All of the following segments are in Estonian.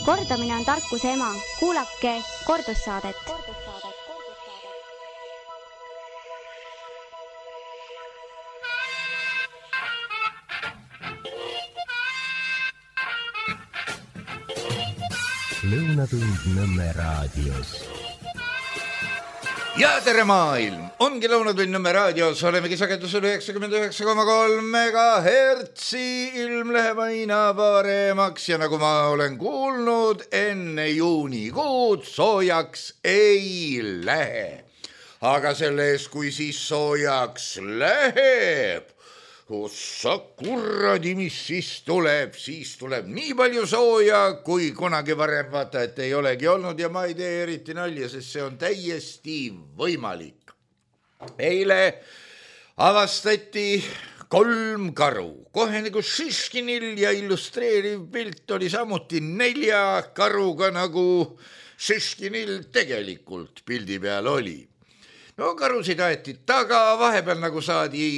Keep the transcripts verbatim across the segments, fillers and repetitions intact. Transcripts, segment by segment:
Kordamine on tarkuse ema. Kuulake kordussaadet. Lõunatund Nõmme raadios. Ja tere maailm! Ongi Lõunatund Nõmme raadios, olemegi sagedusel üheksakümmend üheksa koma kolm megahertsi, ilm läheb aina paremaks ja nagu ma olen kuulnud, enne juunikuud soojaks ei lähe. Aga selles, kui siis soojaks läheb, ossa kuradi, mis siis tuleb, siis tuleb nii palju sooja, kui kunagi varem vaata, et ei olegi olnud ja ma ei tee eriti nalja, sest see on täiesti võimalik. Eile avastati kolm karu, kohe nagu Šiškinil ja illustreeriv pilt oli samuti nelja karuga, nagu Šiškinil tegelikult pildi peal oli. No karusid aeti taga, vahepeal nagu saadi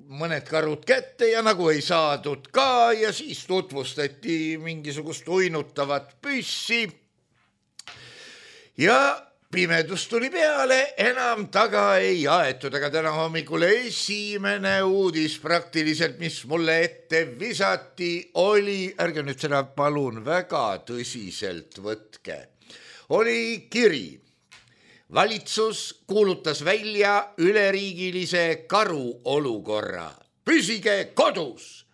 mõned karud kätte ja nagu ei saadud ka ja siis tutvustati mingisugust uinutavat püssi ja pimedus tuli peale, enam taga ei aetud, aga täna hommikul esimene uudis praktiliselt, mis mulle ette visati, oli, ärge nüüd seda palun väga tõsiselt võtke, oli kiri. Valitsus kuulutas välja üleriigilise karuolukorra. Püsige kodus!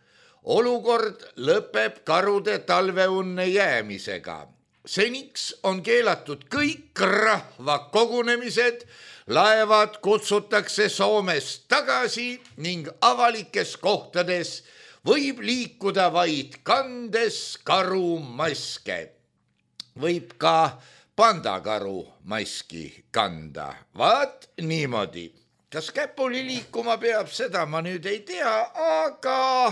Olukord lõpeb karude talveunne jäämisega. Seniks on keelatud kõik rahvakogunemised, laevad kutsutakse Soomest tagasi ning avalikes kohtades võib liikuda vaid kandes karumaske. Võib ka pandakaru maski kanda. Vaat niimoodi. Kas käpuli liikuma peab, seda ma nüüd ei tea, aga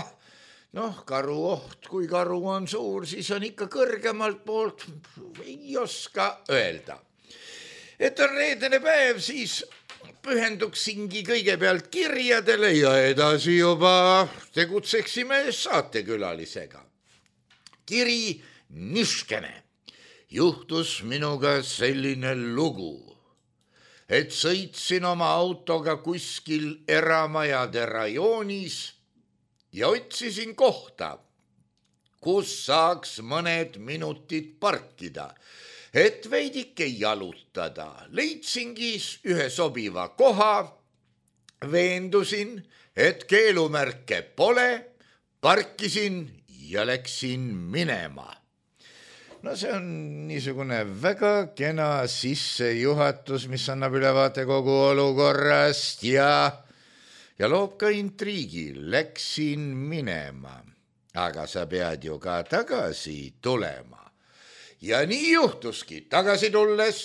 noh, karu oht, kui karu on suur, siis on ikka kõrgemalt poolt, ei oska öelda. Et on reedene päev, siis pühenduksingi kõigepealt kirjadele ja edasi juba tegutseksime saatekülalisega. Kiri niškene. Juhtus minuga selline lugu, et sõitsin oma autoga kuskil eramajade rajoonis ja otsisin kohta, kus saaks mõned minutid parkida, et veidike jalutada. Leidsingi ühe sobiva koha, veendusin, et keelumärke pole, parkisin ja läksin minema. No see on niisugune väga kena sissejuhatus, mis annab ülevaate kogu olukorrast ja, ja loob ka intriigi. Läksin minema, aga sa pead ju ka tagasi tulema. Ja nii juhtuski, tagasi tulles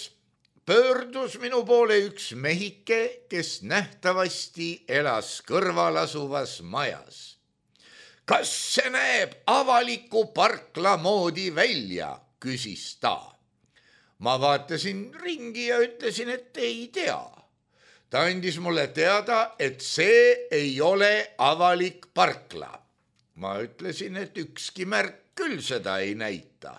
pöördus minu poole üks mehike, kes nähtavasti elas kõrval asuvas majas. Kas see näeb avaliku parkla moodi välja? Küsis ta. Ma vaatasin ringi ja ütlesin, et ei tea. Ta andis mulle teada, et see ei ole avalik parkla. Ma ütlesin, et ükski märk küll seda ei näita.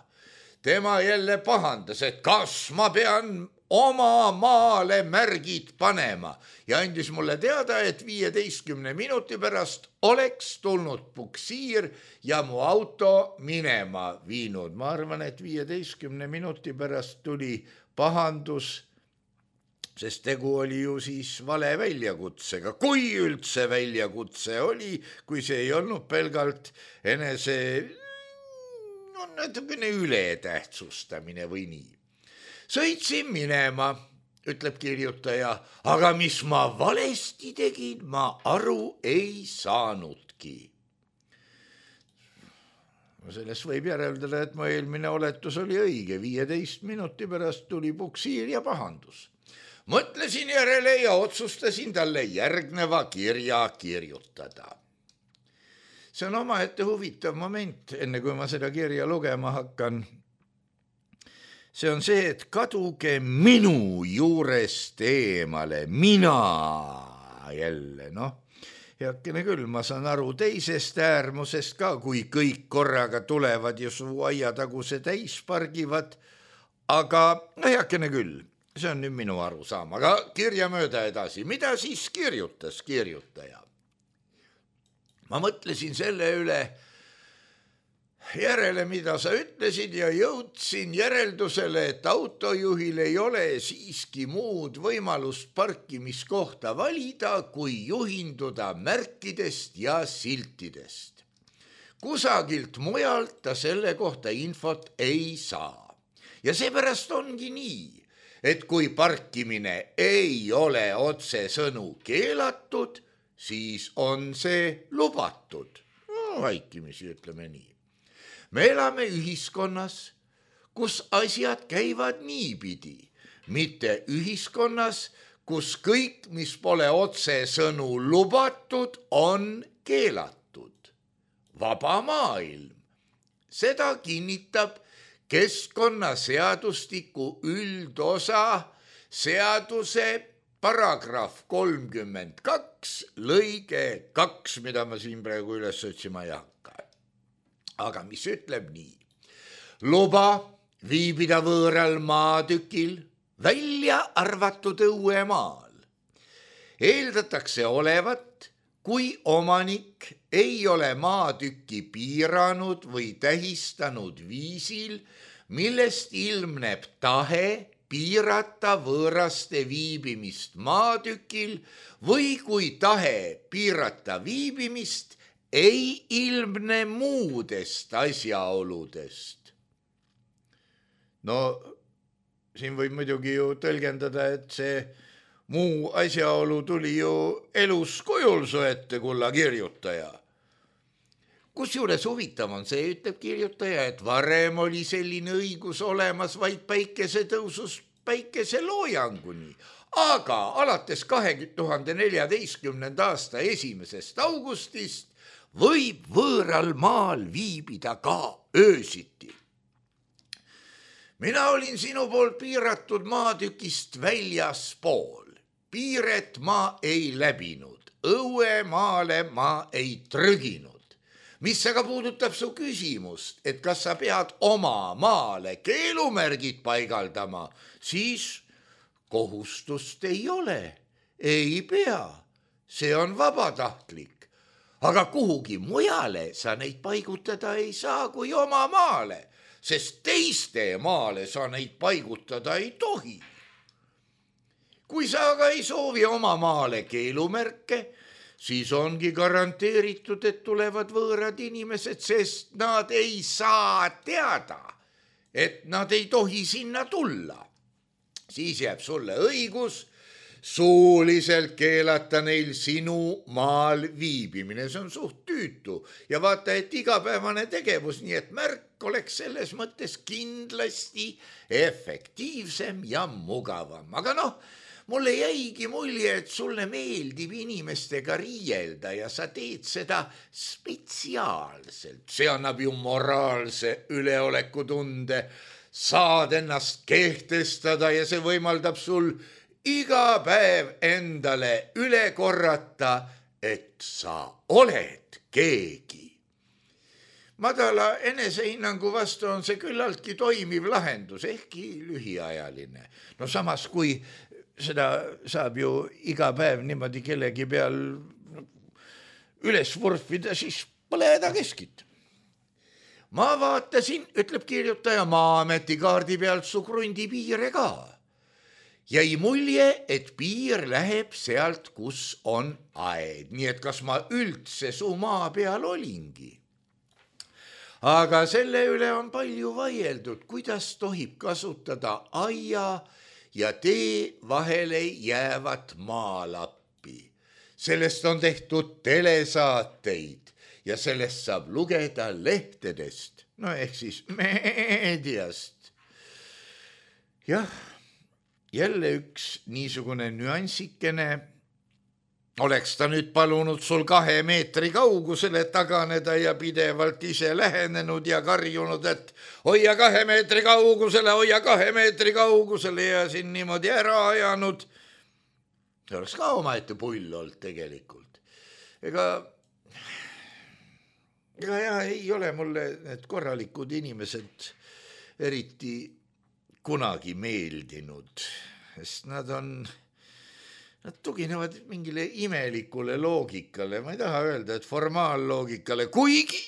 Tema jälle pahandas, et kas ma pean oma maale märgid panema ja andis mulle teada, et viieteistkümne minuti pärast oleks tulnud puksiir ja mu auto minema viinud. Ma arvan, et viieteistkümne minuti pärast tuli pahandus, sest tegu oli ju siis vale väljakutsega. Kui üldse väljakutse oli, kui see ei olnud pelgalt enese no, natukene ületähtsustamine või nii. Sõitsin minema, ütleb kirjutaja, aga mis ma valesti tegin, ma aru ei saanudki. Sellest võib järeldada, et mu eelmine oletus oli õige. viieteist minuti pärast tuli puksiir ja pahandus. Mõtlesin järele ja otsustasin talle järgneva kirja kirjutada. See on omaette huvitav moment, enne kui ma seda kirja lugema hakkan. See on see, et kaduge minu juurest eemale, mina jälle, noh. heakene küll, ma saan aru teisest äärmusest ka, kui kõik korraga tulevad ja su aiataguse täis pargivad, aga heakene küll, see on nüüd minu arusaam, aga kirja mööda edasi, mida siis kirjutas kirjutaja? Ma mõtlesin selle üle järele, mida sa ütlesid ja jõudsin järeldusele, et autojuhil ei ole siiski muud võimalust parkimiskohta valida, kui juhinduda märkidest ja siltidest. Kusagilt mujalt ta selle kohta infot ei saa. Ja seepärast ongi nii, et kui parkimine ei ole otsesõnu keelatud, siis on see lubatud. No, vaikimisi ütleme nii. Me elame ühiskonnas, kus asjad käivad niipidi, mitte ühiskonnas, kus kõik, mis pole otsesõnu lubatud, on keelatud. Vaba maailm. Seda kinnitab keskkonnaseadustiku üldosa seaduse paragrahv kolmkümmend kaks, lõige kaks, mida ma siin praegu üles otsima ei hakka. Aga mis ütleb nii? Luba viibida võõral maatükil, välja arvatud õuemaal. Eeldatakse olevat, kui omanik ei ole maatükki piiranud või tähistanud viisil, millest ilmneb tahe piirata võõraste viibimist maatükil või kui tahe piirata viibimist ei ilmne muudest asjaoludest. No, siin võib muidugi ju tõlgendada, et see muu asjaolu tuli ju elus kujul su ette, kulla kirjutaja. Kusjuures huvitav on see, ütleb kirjutaja, et varem oli selline õigus olemas vaid päikesetõusust päikeseloojanguni, aga alates kahe tuhande neljateistkümnenda aasta esimesest augustist võib võõral maal viibida ka öösiti. Mina olin sinu poolt piiratud maatükist väljaspool. Piiret ma ei läbinud, õue maale ma ei trüginud. Mis aga puudutab su küsimust, et kas sa pead oma maale keelumärgid paigaldama, siis kohustust ei ole, ei pea, see on vabatahtlik. Aga kuhugi mujale sa neid paigutada ei saa kui oma maale, sest teiste maale sa neid paigutada ei tohi. Kui sa aga ei soovi oma maale keelumärke, siis ongi garanteeritud, et tulevad võõrad inimesed, sest nad ei saa teada, et nad ei tohi sinna tulla. Siis jääb sulle õigus suuliselt keelata neil sinu maal viibimine. See on suht tüütu ja vaata, et igapäevane tegevus, nii et märk oleks selles mõttes kindlasti efektiivsem ja mugavam. Aga noh, mulle jäigi mulje, et sulle meeldib inimestega riielda ja sa teed seda spetsiaalselt. See annab ju moraalse üleolekutunde, saad ennast kehtestada ja see võimaldab sul iga päev endale üle korrata, et sa oled keegi. Madala enesehinnangu vastu on see küllaltki toimiv lahendus, ehkki lühiajaline. No samas, kui seda saab ju iga päev niimoodi kellegi peal üles vurfida, siis pole häda keskit. Ma vaatasin, ütleb kirjutaja, Maa-ameti kaardi pealt su krundi piire ka. Jäi mulje, et piir läheb sealt, kus on aed, nii et kas ma üldse su maa peal olingi. Aga selle üle on palju vaieldud, kuidas tohib kasutada aia ja tee vahele jäävat maalappi. Sellest on tehtud telesaateid ja sellest saab lugeda lehtedest, no ehk siis meediast. Jah. Jälle üks niisugune nüansikene, oleks ta nüüd palunud sul kahe meetri kaugusele taganeda ja pidevalt ise lähenenud ja karjunud, et hoia kahe meetri kaugusele, hoia kahe meetri kaugusele ja siin niimoodi ära ajanud. See oleks ka omaette pull olnud tegelikult. ega, ega ja ei ole mulle need korralikud inimesed eriti kunagi meeldinud, sest nad on, nad tuginevad mingile imelikule loogikale, ma ei taha öelda, et formaalloogikale, kuigi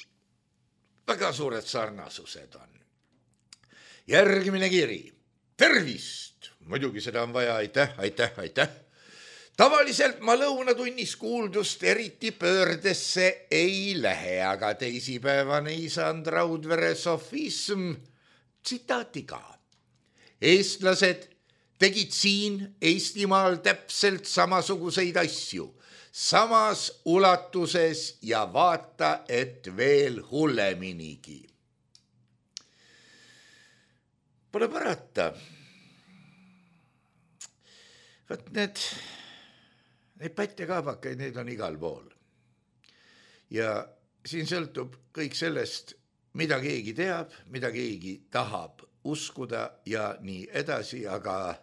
väga suured sarnasused on. Järgmine kiri. Tervist! Muidugi seda on vaja, aitäh, aitäh, aitäh. Tavaliselt ma lõunatunnis kuuldust eriti pöördesse ei lähe, aga teisipäevane isand Raudvere sofism tsitaatiga. Eestlased tegid siin Eestimaal täpselt samasuguseid asju, samas ulatuses ja vaata, et veel hulleminigi. Pole parata. Vaat need, need pätt ja kaabakaid, need on igal pool. Ja siin sõltub kõik sellest, mida keegi teab, mida keegi tahab uskuda ja nii edasi, aga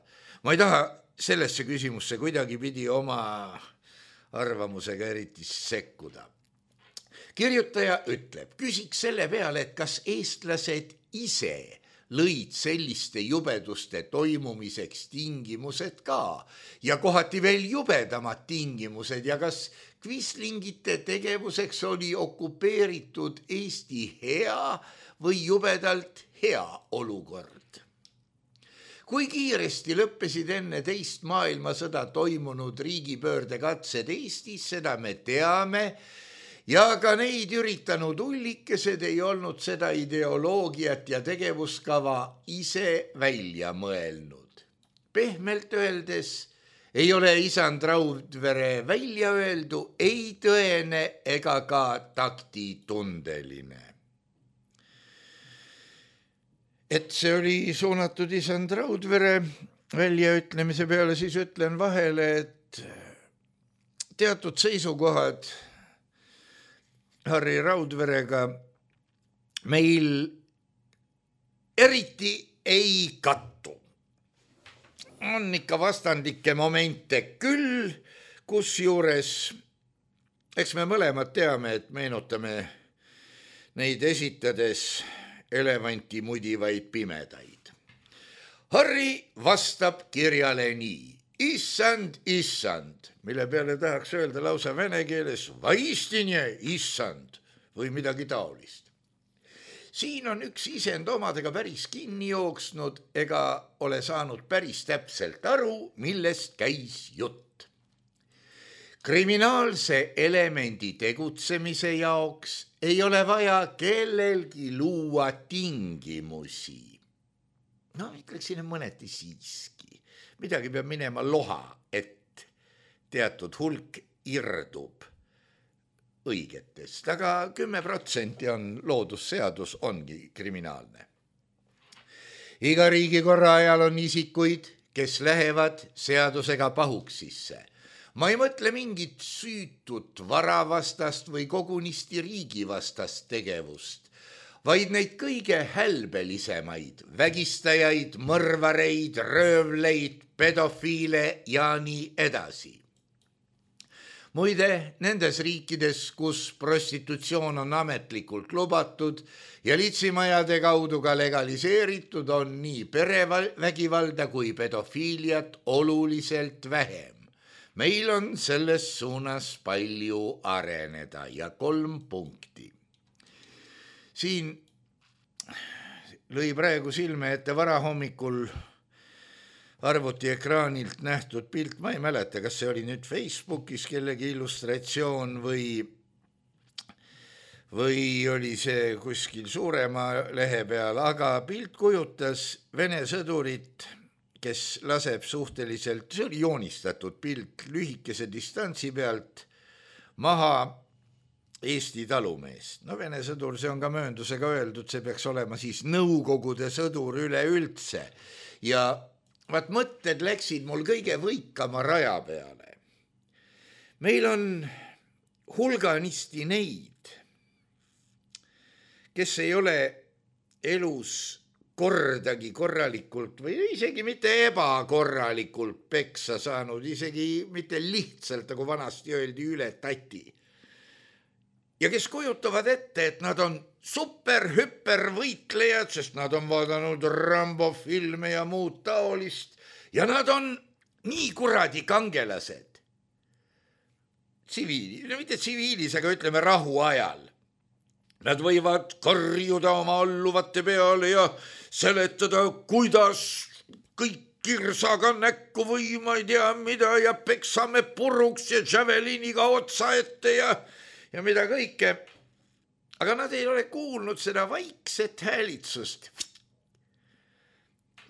ma ei taha sellesse küsimusse kuidagi pidi oma arvamusega eriti sekkuda. Kirjutaja ütleb, küsiks selle peale, et kas eestlased ise lõid selliste jubeduste toimumiseks tingimused ka ja kohati veel jubedamad tingimused ja kas kvislingite tegevuseks oli okupeeritud Eesti hea või jubedalt hea olukord. Kui kiiresti lõppesid enne teist maailmasõda toimunud riigipöördekatsed Eestis, seda me teame, ja ka neid üritanud ullikesed ei olnud seda ideoloogiat ja tegevuskava ise välja mõelnud. Pehmelt öeldes ei ole isand Raudvere välja öeldu ei tõene ega ka taktitundeline. Et see oli suunatud isand Raudvere väljaütlemise peale, siis ütlen vahele, et teatud seisukohad Harri Raudverega meil eriti ei kattu. On ikka vastandlikke momente küll, kus juures, eks me mõlemad teame, et meenutame neid esitades elevanti mudivaid pimedaid. Harri vastab kirjale nii. Issand, issand, mille peale tahaks öelda lausa vene keeles vaistinje issand või midagi taolist. Siin on üks isend omadega päris kinni jooksnud ega ole saanud päris täpselt aru, millest käis jutt. Kriminaalse elemendi tegutsemise jaoks ei ole vaja kellelgi luua tingimusi. No, ütleksin mõneti siiski. Midagi peab minema loha, et teatud hulk irdub õigetest, aga kümme protsenti on loodusseadus, ongi kriminaalne. Iga riigikorra ajal on isikuid, kes lähevad seadusega pahuksisse. Ma ei mõtle mingit süütut varavastast või kogunisti riigivastast tegevust, vaid neid kõige hälbelisemaid, vägistajaid, mõrvareid, röövleid, pedofiile ja nii edasi. Muide, nendes riikides, kus prostitutsioon on ametlikult lubatud ja litsimajade kaudu ka legaliseeritud, on nii perevägivalda kui pedofiiliat oluliselt vähem. Meil on selles suunas palju areneda ja kolm punkti. Siin lõi praegu silme ette varahommikul arvuti ekraanilt nähtud pilt, ma ei mäleta, kas see oli nüüd Facebookis kellegi illustratsioon või, või oli see kuskil suurema lehe peal, aga pilt kujutas Vene sõdurit, kes laseb suhteliselt, see oli joonistatud pilt lühikese distantsi pealt maha Eesti talumeest. No Vene sõdur, see on ka mööndusega öeldud, see peaks olema siis Nõukogude sõdur üleüldse. Ja vaat mõtted läksid mul kõige võikama raja peale. Meil on hulganisti neid, kes ei ole elus kordagi korralikult või isegi mitte ebakorralikult peksa saanud, isegi mitte lihtsalt, nagu vanasti öeldi, üle tati. ja kes kujutavad ette, et nad on super-hüpervõitlejad, sest nad on vaadanud Rambo filme ja muud taolist ja nad on nii kuradi kangelased. Tsiviili, no mitte tsiviilis, aga ütleme rahu ajal. Nad võivad karjuda oma alluvate peale ja seletada, kuidas kõik kirsaga näkku või ma ei tea mida ja peksame puruks ja javeliniga otsa ette ja, ja mida kõike. Aga nad ei ole kuulnud seda vaikset häälitsust,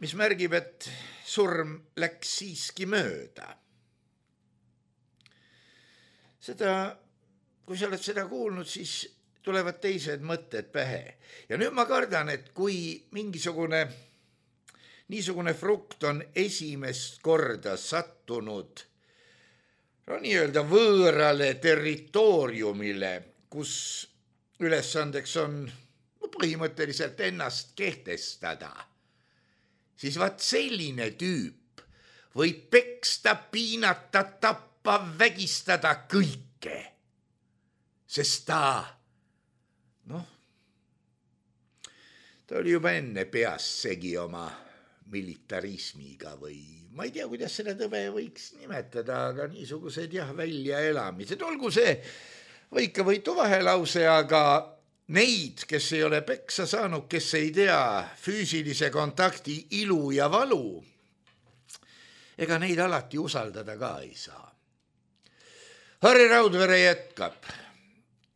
mis märgib, et surm läks siiski mööda. Seda, kui sa oled seda kuulnud, siis tulevad teised mõtted pähe. Ja nüüd ma kardan, et kui mingisugune niisugune frukt on esimest korda sattunud no nii-öelda võõrale territooriumile, kus ülesandeks on põhimõtteliselt ennast kehtestada, siis vaat selline tüüp võib peksta, piinata, tappa, vägistada kõike, sest ta, noh, ta oli juba enne peas segi oma militarismiga või ma ei tea, kuidas seda tõbe võiks nimetada, aga niisugused jah, väljaelamised, olgu see võika võitu vahelause, aga neid, kes ei ole peksa saanud, kes ei tea füüsilise kontakti ilu ja valu, ega neid alati usaldada ka ei saa. Harri Raudvere jätkab.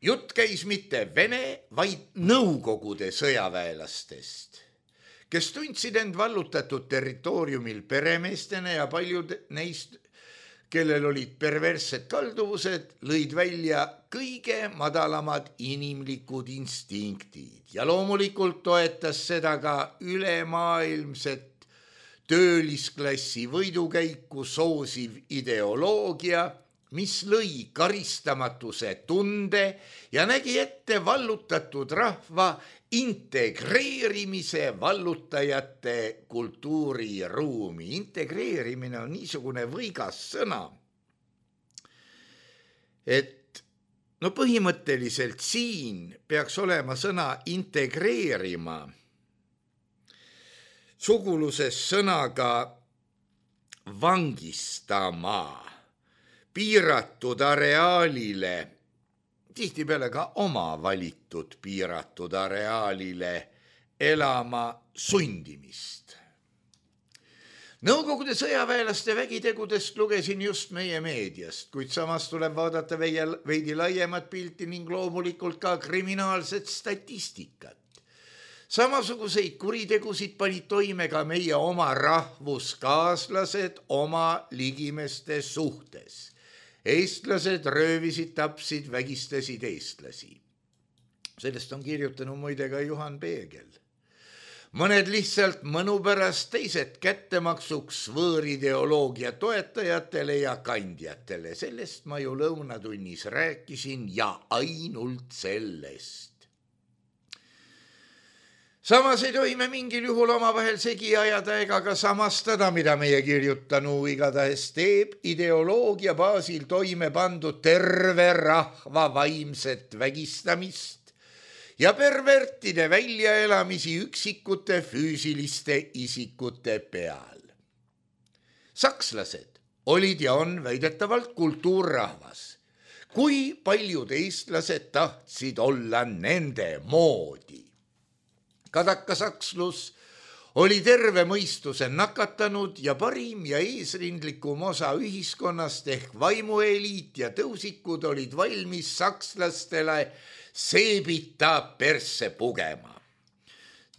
Jutt käis mitte Vene, vaid Nõukogude sõjaväelastest, kes tundsid end vallutatud territooriumil peremeestena ja paljud neist, kellel olid perverssed kalduvused, lõid välja kõige madalamad inimlikud instinktid ja loomulikult toetas seda ka ülemaailmset töölisklassi võidukäiku soosiv ideoloogia, mis lõi karistamatuse tunde ja nägi ette vallutatud rahva integreerimise vallutajate kultuuriruumi. Integreerimine on niisugune võigas sõna, et no põhimõtteliselt siin peaks olema sõna integreerima suguluses sõnaga vangistama, piiratud areaalile, tihtipeale ka oma valitud piiratud areaalile elama sundimist. Nõukogude sõjaväelaste vägitegudest lugesin just meie meediast, kuid samas tuleb vaadata veidi laiemat pilti ning loomulikult ka kriminaalset statistikat. Samasuguseid kuritegusid panid toime ka meie oma rahvuskaaslased oma ligimeste suhtes. Eestlased röövisid, tapsid, vägistasid eestlasi. Sellest on kirjutanud muide ka Juhan Peegel. Mõned lihtsalt mõnu pärast, teised kättemaksuks võõrideoloogia toetajatele ja kandjatele. Sellest ma ju lõunatunnis rääkisin ja ainult sellest. Samas ei tohi me mingil juhul omavahel segi ajada ega ka samastada, mida meie kirjutanu igatahes teeb ideoloogia baasil toime pandud terve rahva vaimset vägistamist ja pervertide väljaelamisi üksikute füüsiliste isikute peal. Sakslased olid ja on väidetavalt kultuurrahvas. Kui paljud eestlased tahtsid olla nende moodi? Kadakasakslus oli terve mõistuse nakatanud ja parim ja eesrindlikum osa ühiskonnast ehk vaimueliit ja tõusikud olid valmis sakslastele seebita persse pugema.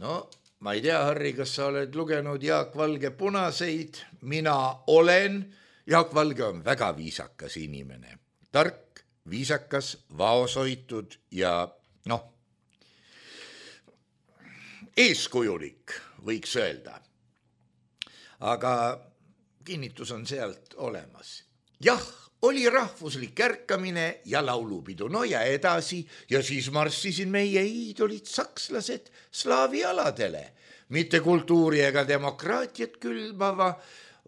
No, ma ei tea, Harri, kas sa oled lugenud Jaak Valge Punaseid? Mina olen. Jaak Valge on väga viisakas inimene. Tark, viisakas, vaoshoitud ja noh, eeskujulik, võiks öelda. Aga kinnitus on sealt olemas. Jah, oli rahvuslik ärkamine ja laulupidu, no ja edasi, ja siis marssisid meie iidolid sakslased slaavi aladele, mitte kultuuri ega demokraatiat külbava,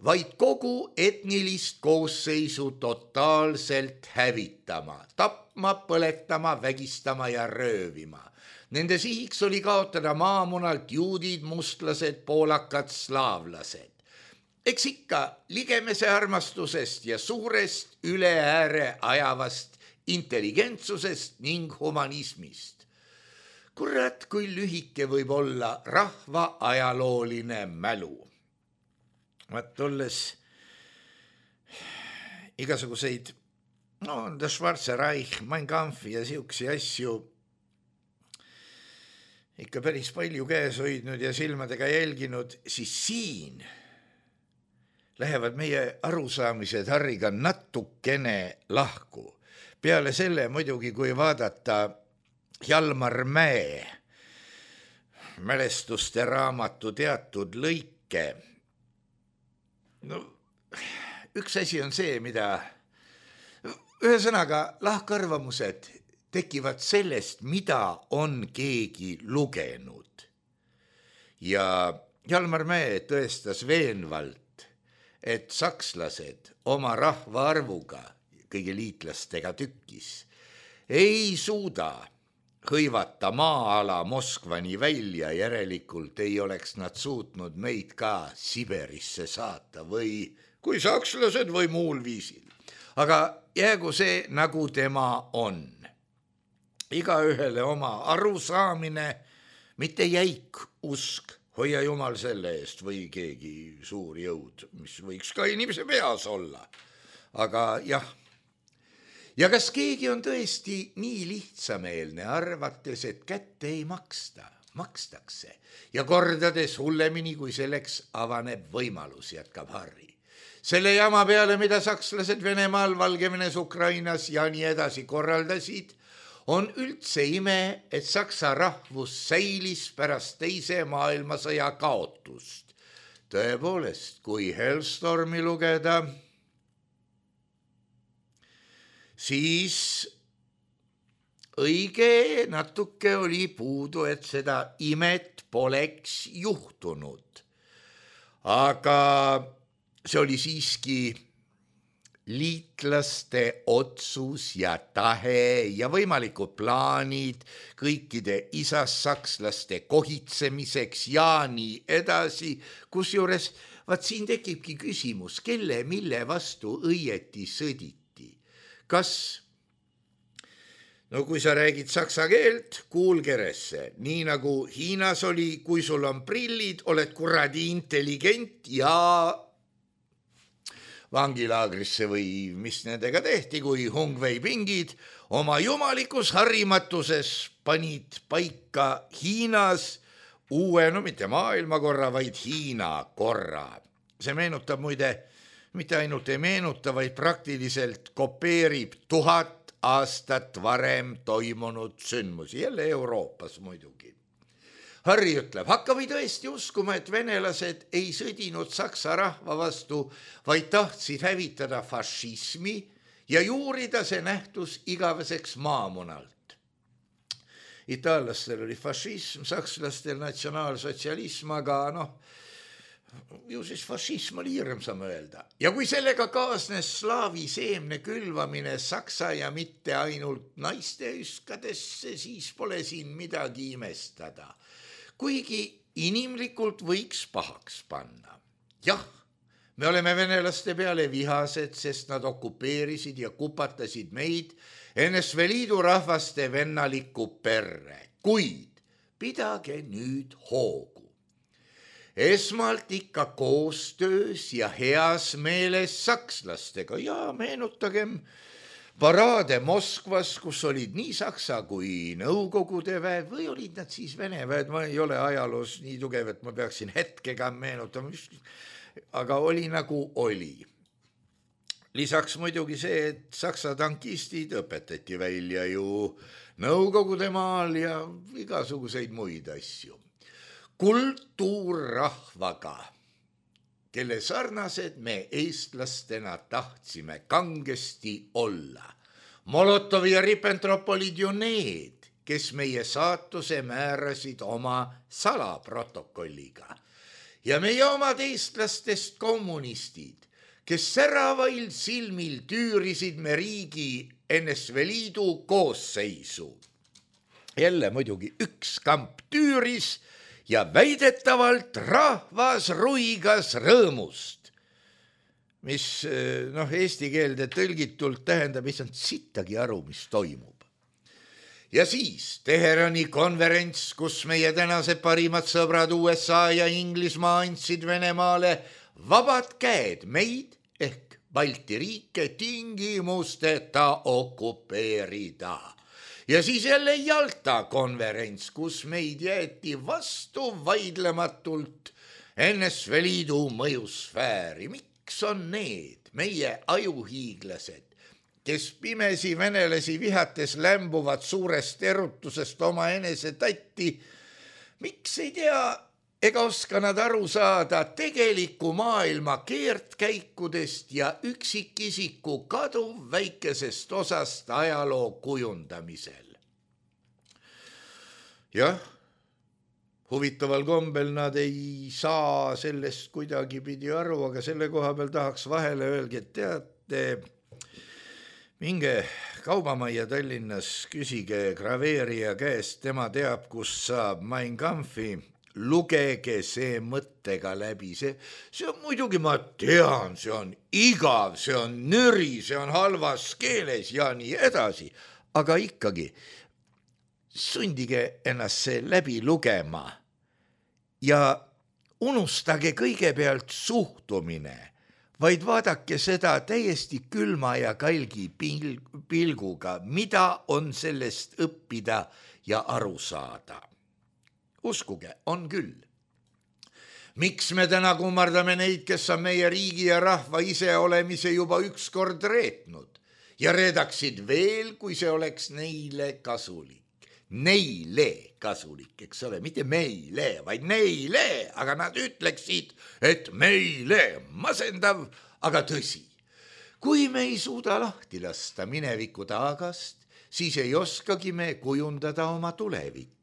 vaid kogu etnilist koosseisu totaalselt hävitama, tapma, põletama, vägistama ja röövima. Nende sihiks oli kaotada maamunalt juudid, mustlased, poolakad, slaavlased. Eks ikka ligemese armastusest ja suurest üle ääre ajavast intelligentsusest ning humanismist. Kurat, kui lühike võib olla rahva ajalooline mälu. Vaat olles igasuguseid, no The Schwarze Reich, Mein Kampfi ja siuksi asju ikka päris palju käes hoidnud ja silmadega jälginud, siis siin lähevad meie arusaamised Harriga natukene lahku. Peale selle muidugi, kui vaadata Hjalmar Mäe mälestuste raamatu teatud lõike, no üks asi on see, mida ühesõnaga lahkarvamused tekivad sellest, mida on keegi lugenud. Ja Hjalmar Mäe tõestas veenvalt, et sakslased oma rahvaarvuga, kõigi liitlastega tükkis, ei suuda hõivata maa-ala Moskvani välja, järelikult ei oleks nad suutnud meid ka Siberisse saata või kui sakslased või muul viisil. Aga jäägu see, nagu tema on. Igaühele oma arusaamine, mitte jäik usk, hoia Jumal selle eest või keegi suur jõud, mis võiks ka inimese peas olla. Aga jah, ja kas keegi on tõesti nii lihtsameelne, arvates, et kätte ei maksta, makstakse ja kordades hullemini, kui selleks avaneb võimalus, jätkab Harri. Selle jama peale, mida sakslased Venemaal, Valgevenes, Ukrainas ja nii edasi korraldasid, on üldse ime, et saksa rahvus säilis pärast teise maailmasõja kaotust. Tõepoolest, kui Hellstormi lugeda, siis õige natuke oli puudu, et seda imet poleks juhtunud. Aga see oli siiski liitlaste otsus ja tahe ja võimalikud plaanid kõikide isassakslaste kohitsemiseks ja nii edasi, kusjuures vaat siin tekibki küsimus, kelle mille vastu õieti sõditi. Kas, no kui sa räägid saksa keelt, kuulgeresse, nii nagu Hiinas oli, kui sul on prillid, oled kuradi intelligent ja vangilaagrisse või mis nendega tehti, kui Hungvei pingid oma jumalikus harrimatuses panid paika Hiinas uue, no mitte maailmakorra, vaid Hiina korra. See meenutab muide, mitte ainult ei meenuta, vaid praktiliselt kopeerib tuhat aastat varem toimunud sündmusi, jälle Euroopas muidugi. Harri ütleb, hakka või tõesti uskuma, et venelased ei sõdinud saksa rahva vastu, vaid tahtsid hävitada fašismi ja juurida see nähtus igaveseks maamunalt. Itaallastel oli fašism, sakslastel natsionaalsotsialism, aga noh, ju siis fašism oli hirm, saame öelda. Ja kui sellega kaasnes slaavi seemne külvamine saksa ja mitte ainult naiste üskadesse, siis pole siin midagi imestada. Kuigi inimlikult võiks pahaks panna. Jah, me oleme venelaste peale vihased, sest nad okupeerisid ja kupatasid meid N S V Liidu rahvaste vennalikku perre. Kuid pidage nüüd hoogu. Esmalt ikka koostöös ja heas meeles sakslastega ja meenutagem paraade Moskvas, kus olid nii saksa kui nõukogude väed või olid nad siis vene väed, ma ei ole ajaloos nii tugev, et ma peaksin hetkega meenutama, aga oli nagu oli. Lisaks muidugi see, et saksa tankistid õpetati välja ju nõukogude maal ja igasuguseid muid asju. Kultuurrahvaga, kelle sarnased me eestlastena tahtsime kangesti olla. Molotov ja Ribbentrop olid ju need, kes meie saatuse määrasid oma salaprotokolliga. ja meie omad eestlastest kommunistid, kes säravail silmil tüürisid me riigi N S V Liidu koosseisu. Jälle muidugi üks kamp tüüris ja väidetavalt rahvas ruigas rõõmust, mis noh, eesti keelde tõlgitult tähendab, ei saanud sittagi aru, mis toimub. Ja siis Teherani konverents, kus meie tänased parimad sõbrad U S A ja Inglismaa andsid Venemaale vabad käed meid ehk Balti riike tingimusteta okupeerida. Ja siis jälle Jalta konverents, kus meid jäeti vastu vaidlematult N S V Liidu mõjusfääri. Miks on need meie ajuhiiglased, kes pimesi venelasi vihates lämbuvad suurest erutusest oma enese tatti, miks ei tea ega oska nad aru saada tegeliku maailma keertkäikudest ja üksikisiku kaduv väikesest osast ajaloo kujundamisel? Jah, huvitaval kombel nad ei saa sellest kuidagi pidi aru, aga selle koha peal tahaks vahele öelgi, et teate, minge kaubamajja Tallinnas, küsige graveerija käest, tema teab, kus saab Mein Kampfi, lugege see mõttega läbi, see, see on muidugi, ma tean, see on igav, see on nüri, see on halvas keeles ja nii edasi, aga ikkagi sundige ennast see läbi lugema ja unustage kõigepealt suhtumine, vaid vaadake seda täiesti külma ja kalgi pilguga, mida on sellest õppida ja aru saada. Uskuge, on küll. Miks me täna kummardame neid, kes on meie riigi ja rahva iseolemise juba ükskord reetnud ja reedaksid veel, kui see oleks neile kasulik. Neile kasulik, eks ole, mitte meile, vaid neile, aga nad ütleksid, et meile masendav, aga tõsi. Kui me ei suuda lahti lasta mineviku taagast, siis ei oskagi me kujundada oma tulevikku.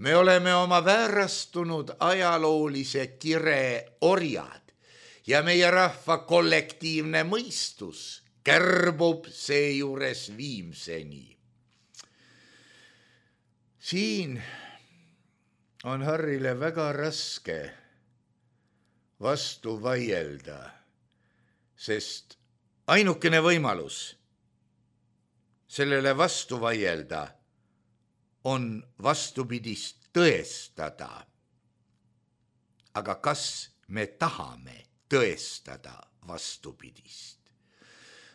Me oleme oma väärastunud ajaloolise kire orjad ja meie rahva kollektiivne mõistus kärbub seejuures viimseni. Siin on Harrile väga raske vastu vaielda, sest ainukene võimalus sellele vastu vaielda on vastupidist tõestada. Aga kas me tahame tõestada vastupidist?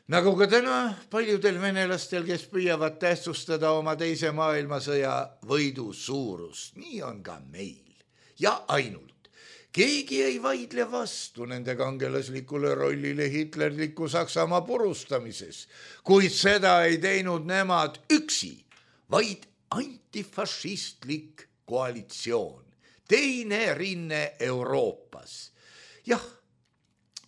Nagu ka täna paljudel venelastel, kes püüavad tähtsustada oma teise maailmasõja võidu suurust, nii on ka meil. Ja ainult. Keegi ei vaidle vastu nende kangelaslikule rollile hitlerliku Saksamaa purustamises, kuid seda ei teinud nemad üksi, vaid antifašistlik koalitsioon, teine rinne Euroopas. Jah,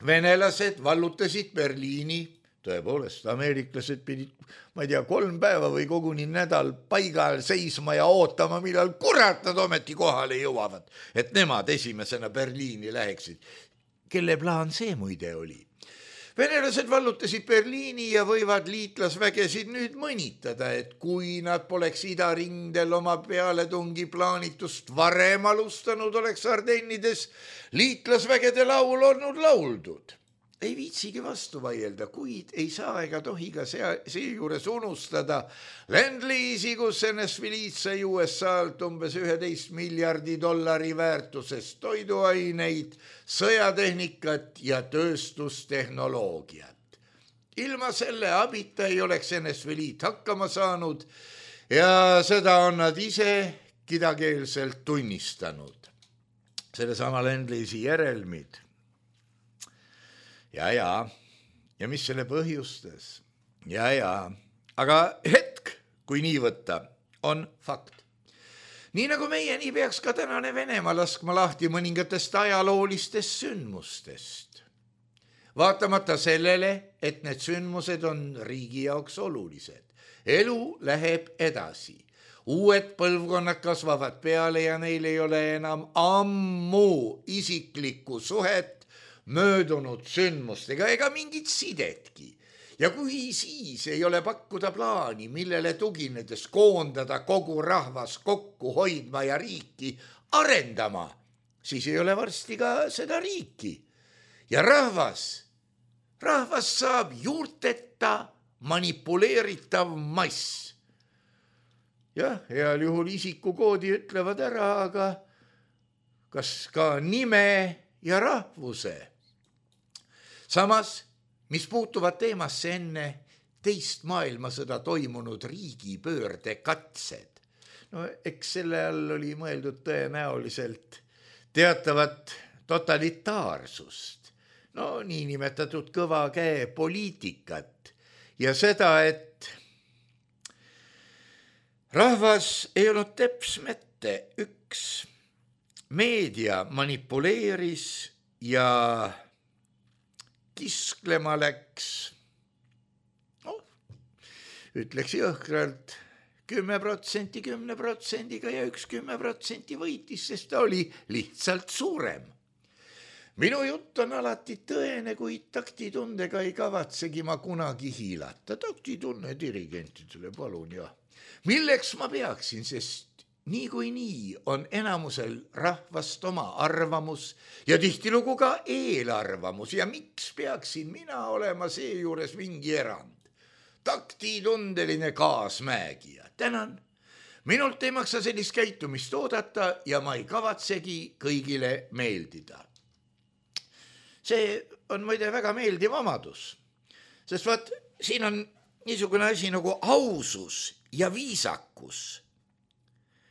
venelased vallutasid Berliini, tõepoolest, ameeriklased pidid, ma ei tea, kolm päeva või koguni nädal paigal seisma ja ootama, millal kurat nad ometi kohale jõuavad, et nemad esimesena Berliini läheksid. Kelle plaan see muide oli? Venelased vallutasid Berliini ja võivad liitlasvägesid nüüd mõnitada, et kui nad poleks idarindel oma pealetungi plaanitust varem alustanud, oleks Ardennides liitlasvägede laul olnud lauldud. Ei viitsigi vastu vaielda, kuid ei saa ega tohi ka seejuures unustada Land-Leasi, kus N S V Liit sai U S A-lt umbes üheteist miljardi dollari väärtusest toiduaineid, sõjatehnikat ja tööstustehnoloogiat. Ilma selle abita ei oleks N S V Liit hakkama saanud ja seda on nad ise kidakeelselt tunnistanud. Sellesama Land-Leasi järelmid. Ja, ja, ja mis selle põhjustas? Ja, ja, aga hetk, kui nii võtta, on fakt. Nii nagu meie, nii peaks ka tänane Venemaa laskma lahti mõningatest ajaloolistest sündmustest. Vaatamata sellele, et need sündmused on riigi jaoks olulised. Elu läheb edasi. uued põlvkonnad kasvavad peale ja neil ei ole enam ammu isiklikku suhet möödunud sündmustega ega mingit sidetki. Ja kui siis ei ole pakkuda plaani, millele tuginedes koondada kogu rahvas kokku hoidma ja riiki arendama, siis ei ole varsti ka seda riiki. Ja rahvas, rahvas saab juurteta manipuleeritav mass. Jah, heal juhul isikukoodi ütlevad ära, aga kas ka nime ja rahvuse. Samas, mis puutuvad teemasse enne teist maailmasõda toimunud riigipöörde katsed. No eks selle all oli mõeldud tõenäoliselt teatavat totalitaarsust, no niinimetatud kõva käe poliitikat ja seda, et rahvas ei olnud teps mette, üks meedia manipuleeris ja kisklema läks, no, ütleks jõhkralt, kümme protsenti kümne protsendiga ja üks kümme protsenti võitis, sest ta oli lihtsalt suurem. Minu jutt on alati tõene, kui taktitundega ei kavatsegi ma kunagi hiilata. Taktitunne dirigentidele, palun, jah. Milleks ma peaksin, sest nii kui nii on enamusel rahvast oma arvamus ja tihtilugu ka eelarvamus ja miks peaksin mina olema seejuures mingi erand? Taktitundeline kaasmäegija. Tänan. Minult ei maksa sellist käitumist oodata ja ma ei kavatsegi kõigile meeldida. See on muide väga meeldiv omadus, sest vaat siin on niisugune asi nagu ausus ja viisakus,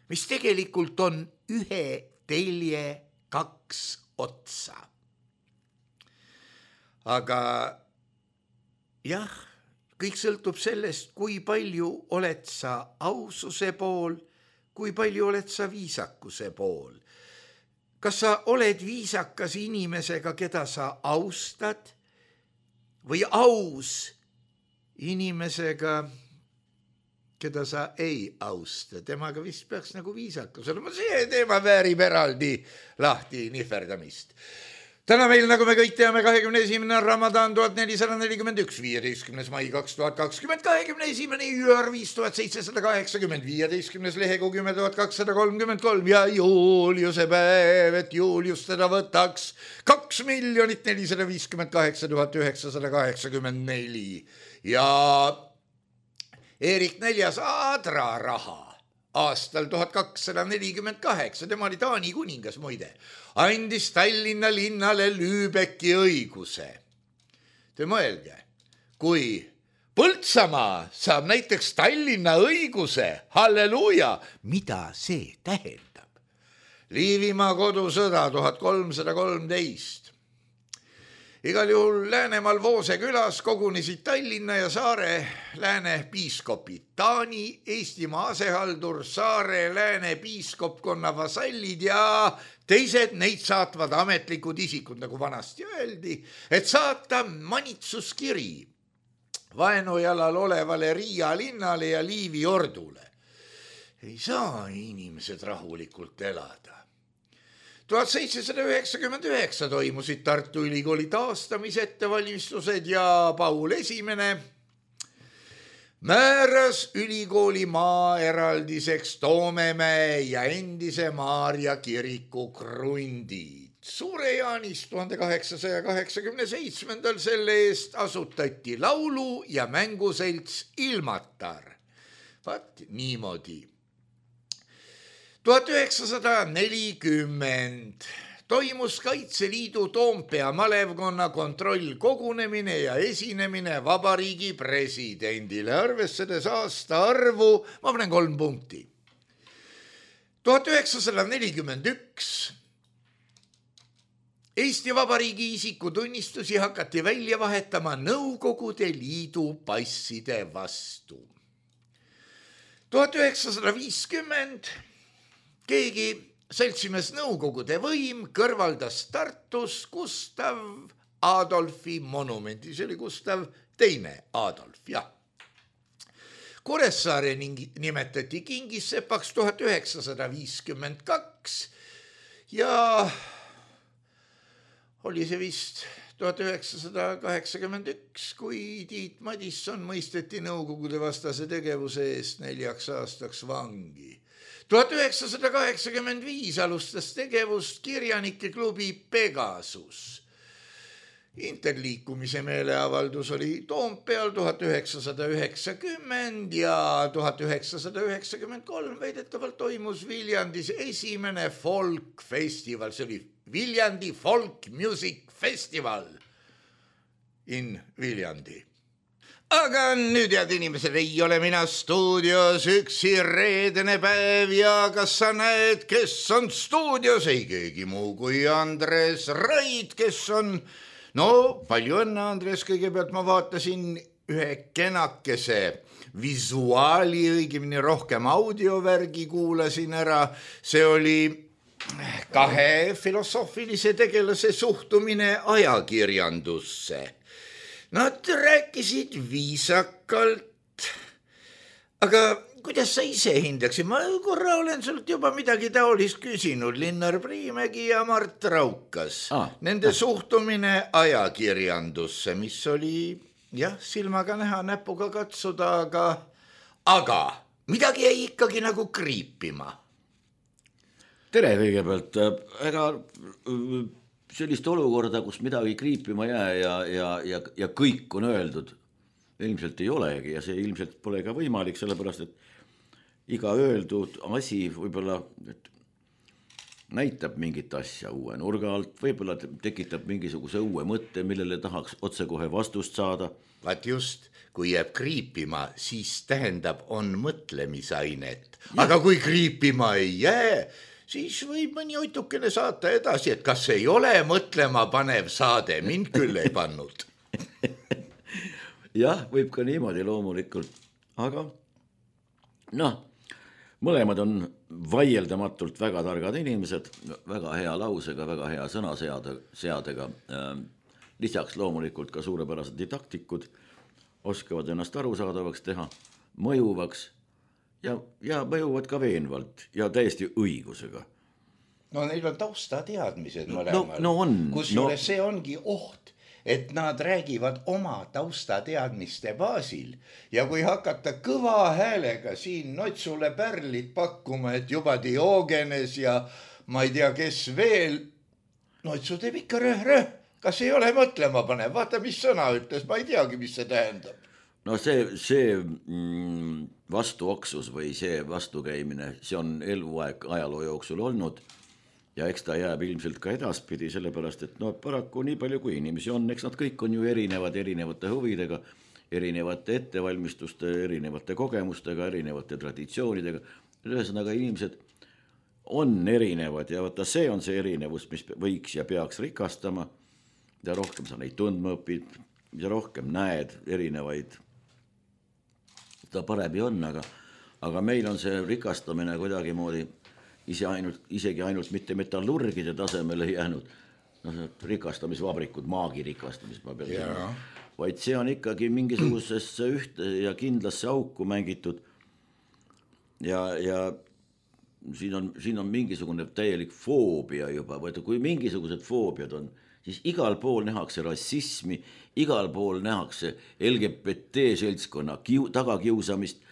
mis tegelikult on ühe telje kaks otsa. Aga jah, kõik sõltub sellest, kui palju oled sa aususe pool, kui palju oled sa viisakuse pool. Kas sa oled viisakas inimesega, keda sa austad, või aus inimesega, keda sa ei austa? Temaga vist peaks nagu viisakus olema. See teema väärib eraldi lahti nihverdamist. Täna meil, nagu me kõik teame, kahekümne esimene Ramadan tuhat nelisada nelikümmend üks, viieteistkümnes mai kaks tuhat kakskümmend, kahekümne esimene jüür viis tuhat seitsesada kaheksakümmend, viieteistkümnes lehekuu kümme tuhat kakssada kolmkümmend kolm ja Juliuse päev, et Julius teda võtaks kaks miljonit nelisada viiskümmend kaheksa tuhat üheksasada kaheksakümmend neli ja Eerik Neljas Aadra raha aastal tuhat kakssada nelikümmend kaheksa, tema oli Taani kuningas muide, andis Tallinna linnale Lübecki õiguse. Te mõelge, kui Põltsamaa saab näiteks Tallinna õiguse, halleluuja, mida see tähendab? Liivimaa kodusõda tuhat kolmsada kolmteist. Igal juhul Läänemaal Voose külas kogunesid Tallinna ja Saare lääne piiskopid, Taani, Eestimaa asehaldur, Saare lääne piiskopkonna vasallid ja teised neid saatvad ametlikud isikud, nagu vanasti öeldi, et saata manitsuskiri vaenujalal olevale Riia linnale ja Liivi ordule. Ei saa inimesed rahulikult elada. tuhat seitsesada üheksakümmend üheksa toimusid Tartu Ülikooli taastamise ettevalmistused ja Paul Esimene määras ülikooli maa eraldiseks Toomemäe ja endise Maarja kiriku krundid. Suure Jaanis tuhande kaheksasaja kaheksakümne seitsmendal selle eest asutati laulu- ja mänguselts Ilmatar. Vaat niimoodi. tuhat üheksasada nelikümmend toimus Kaitseliidu Toompea malevkonna kontrollkogunemine ja esinemine vabariigi presidendile, arvestades aasta arvu, ma panen kolm punkti. tuhat üheksasada nelikümmend üks Eesti Vabariigi isikutunnistusi hakati välja vahetama Nõukogude Liidu passide vastu. tuhat üheksasada viiskümmend keegi seltsimees Nõukogude võim kõrvaldas Tartus Gustav Adolfi monumendi, see oli Gustav teine Adolf, jah. Kuressaare nimetati kingissepaks tuhat üheksasada viiskümmend kaks ja oli see vist tuhat üheksasada kaheksakümmend üks, kui Tiit Madisson mõisteti Nõukogude vastase tegevuse eest neljaks aastaks vangi. tuhat üheksasada kaheksakümmend viis alustas tegevust kirjanike klubi Pegasus. Interliikumise meeleavaldus oli Toompeal tuhat üheksasada üheksakümmend ja tuhat üheksasada üheksakümmend kolm väidetavalt toimus Viljandis esimene folkfestival, see oli Viljandi Folk Music Festival in Viljandi. Aga nüüd, head inimesed, ei ole mina stuudios üksi reedene päev ja kas sa näed, kes on stuudios? Ei keegi muu kui Andres Raid, kes on, no palju õnne, Andres, kõigepealt ma vaatasin ühe kenakese visuaali, õigemini rohkem audiovärgi kuulasin ära, see oli kahe filosoofilise tegelase suhtumine ajakirjandusse. Nad rääkisid viisakalt, aga kuidas sa ise hindaksid? Ma korra olen sult juba midagi taolist küsinud, Linnar Priimägi ja Mart Raukas. Ah, Nende ah. suhtumine ajakirjandusse, mis oli jah, silmaga näha, näpuga katsuda, aga, aga midagi jäi ikkagi nagu kriipima. Tere kõigepealt, ega sellist olukorda, kus midagi kriipima jää ja, ja, ja, ja kõik on öeldud, ilmselt ei olegi ja see ilmselt pole ka võimalik, sellepärast et iga öeldud asi võib-olla näitab mingit asja uue nurga alt, võib-olla tekitab mingisuguse uue mõtte, millele tahaks otsekohe vastust saada. Vaat just, kui jääb kriipima, siis tähendab, on mõtlemisainet. Aga kui kriipima ei jää, siis võib mõni oitukene saata edasi, et kas ei ole mõtlema panev saade, mind küll ei pannud. Jah, võib ka niimoodi loomulikult, aga noh, mõlemad on vaieldamatult väga targad inimesed, väga hea lausega, väga hea sõnaseadega, lisaks loomulikult ka suurepärased didaktikud, oskavad ennast arusaadavaks teha, mõjuvaks, Ja, ja mõjuvad ka veenvalt ja täiesti õigusega. No neil on tausta teadmised mõlemal. No, no on. Kusjuures no. see ongi oht, et nad räägivad oma tausta teadmiste baasil ja kui hakata kõva häälega siin Notsule pärlit pakkuma, et juba Diogenes ja ma ei tea, kes veel, Notsu teeb ikka röh-röh, kas ei ole mõtlema panev, vaata, mis sõna ütles, ma ei teagi, mis see tähendab. No see, see mm, vastuoksus või see vastukäimine, see on eluaeg ajaloo jooksul olnud ja eks ta jääb ilmselt ka edaspidi, sellepärast, et no paraku nii palju kui inimesi on, eks nad kõik on ju erinevad, erinevate huvidega, erinevate ettevalmistuste, erinevate kogemustega, erinevate traditsioonidega. Ühesõnaga inimesed on erinevad ja vaata see on see erinevus, mis võiks ja peaks rikastama ja rohkem sa neid tundma õpid ja rohkem näed erinevaid ta paremini on, aga, aga meil on see rikastamine kuidagi moodi ise ainult, isegi ainult mitte metallurgide tasemele jäänud, no, rikastamisvabrikud, maagi rikastamis, ma pean yeah. vaid see on ikkagi mingisugusesse ühte ja kindlasse auku mängitud ja, ja siin on, siin on mingisugune täielik foobia juba, vaid kui mingisugused foobiad on, siis igal pool nähakse rassismi, igal pool nähakse L G B T seltskonna kiu, tagakiusamist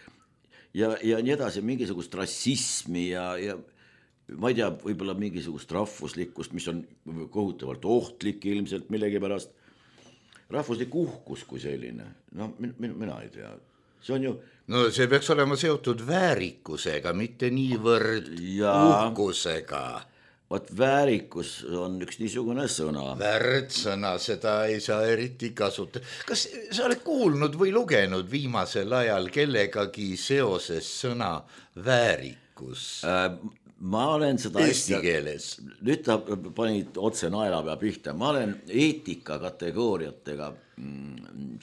ja, ja nii edasi, mingisugust rassismi ja, ja ma ei tea, võib-olla mingisugust rahvuslikkust, mis on kohutavalt ohtlik ilmselt millegi pärast. Rahvuslik uhkus kui selline, no mina, mina ei tea, see on ju... No see peaks olema seotud väärikusega, mitte niivõrd ja... uhkusega. Vaat väärikus on üks niisugune sõna. Värdsõna, seda ei saa eriti kasuta. Kas sa oled kuulnud või lugenud viimasel ajal kellegagi seoses sõna väärikus? Äh, ma olen seda... Eesti keeles. Nüüd ta panid otse naelapea pihta. Ma olen eetika kategooriatega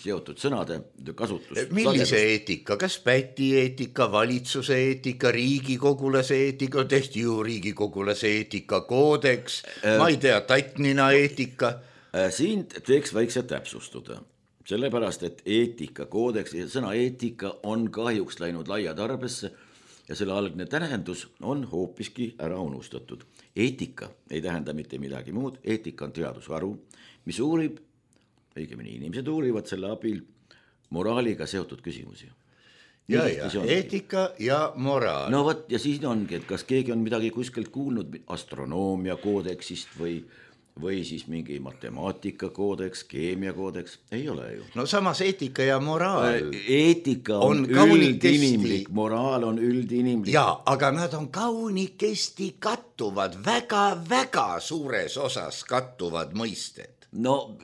seotud sõnade kasutus. Millise eetika? Kas päti eetika, valitsuse eetika, riigikogulase eetika, tehti ju riigikogulase eetika koodeks, äh, ma ei tea, tatnina eetika. Siin teeks väikse täpsustuda. sellepärast, et eetikakoodeks, sõna eetika on kahjuks läinud laia tarbesse ja selle algne tähendus on hoopiski ära unustatud. Eetika ei tähenda mitte midagi muud, eetika on teadusharu, mis uurib, õigemini inimesed uurivad selle abil moraaliga seotud küsimusi. Ja, ja, eetika ja moraal. No võt, ja siis ongi, et kas keegi on midagi kuskilt kuulnud astronoomia koodeksist või, või siis mingi matemaatika koodeks, keemia koodeks, ei ole ju. No samas eetika ja moraal eetika on, on üldinimlik, moraal on üldinimlik. Jaa, aga nad on kaunikesti kattuvad, väga-väga suures osas kattuvad mõisted. No,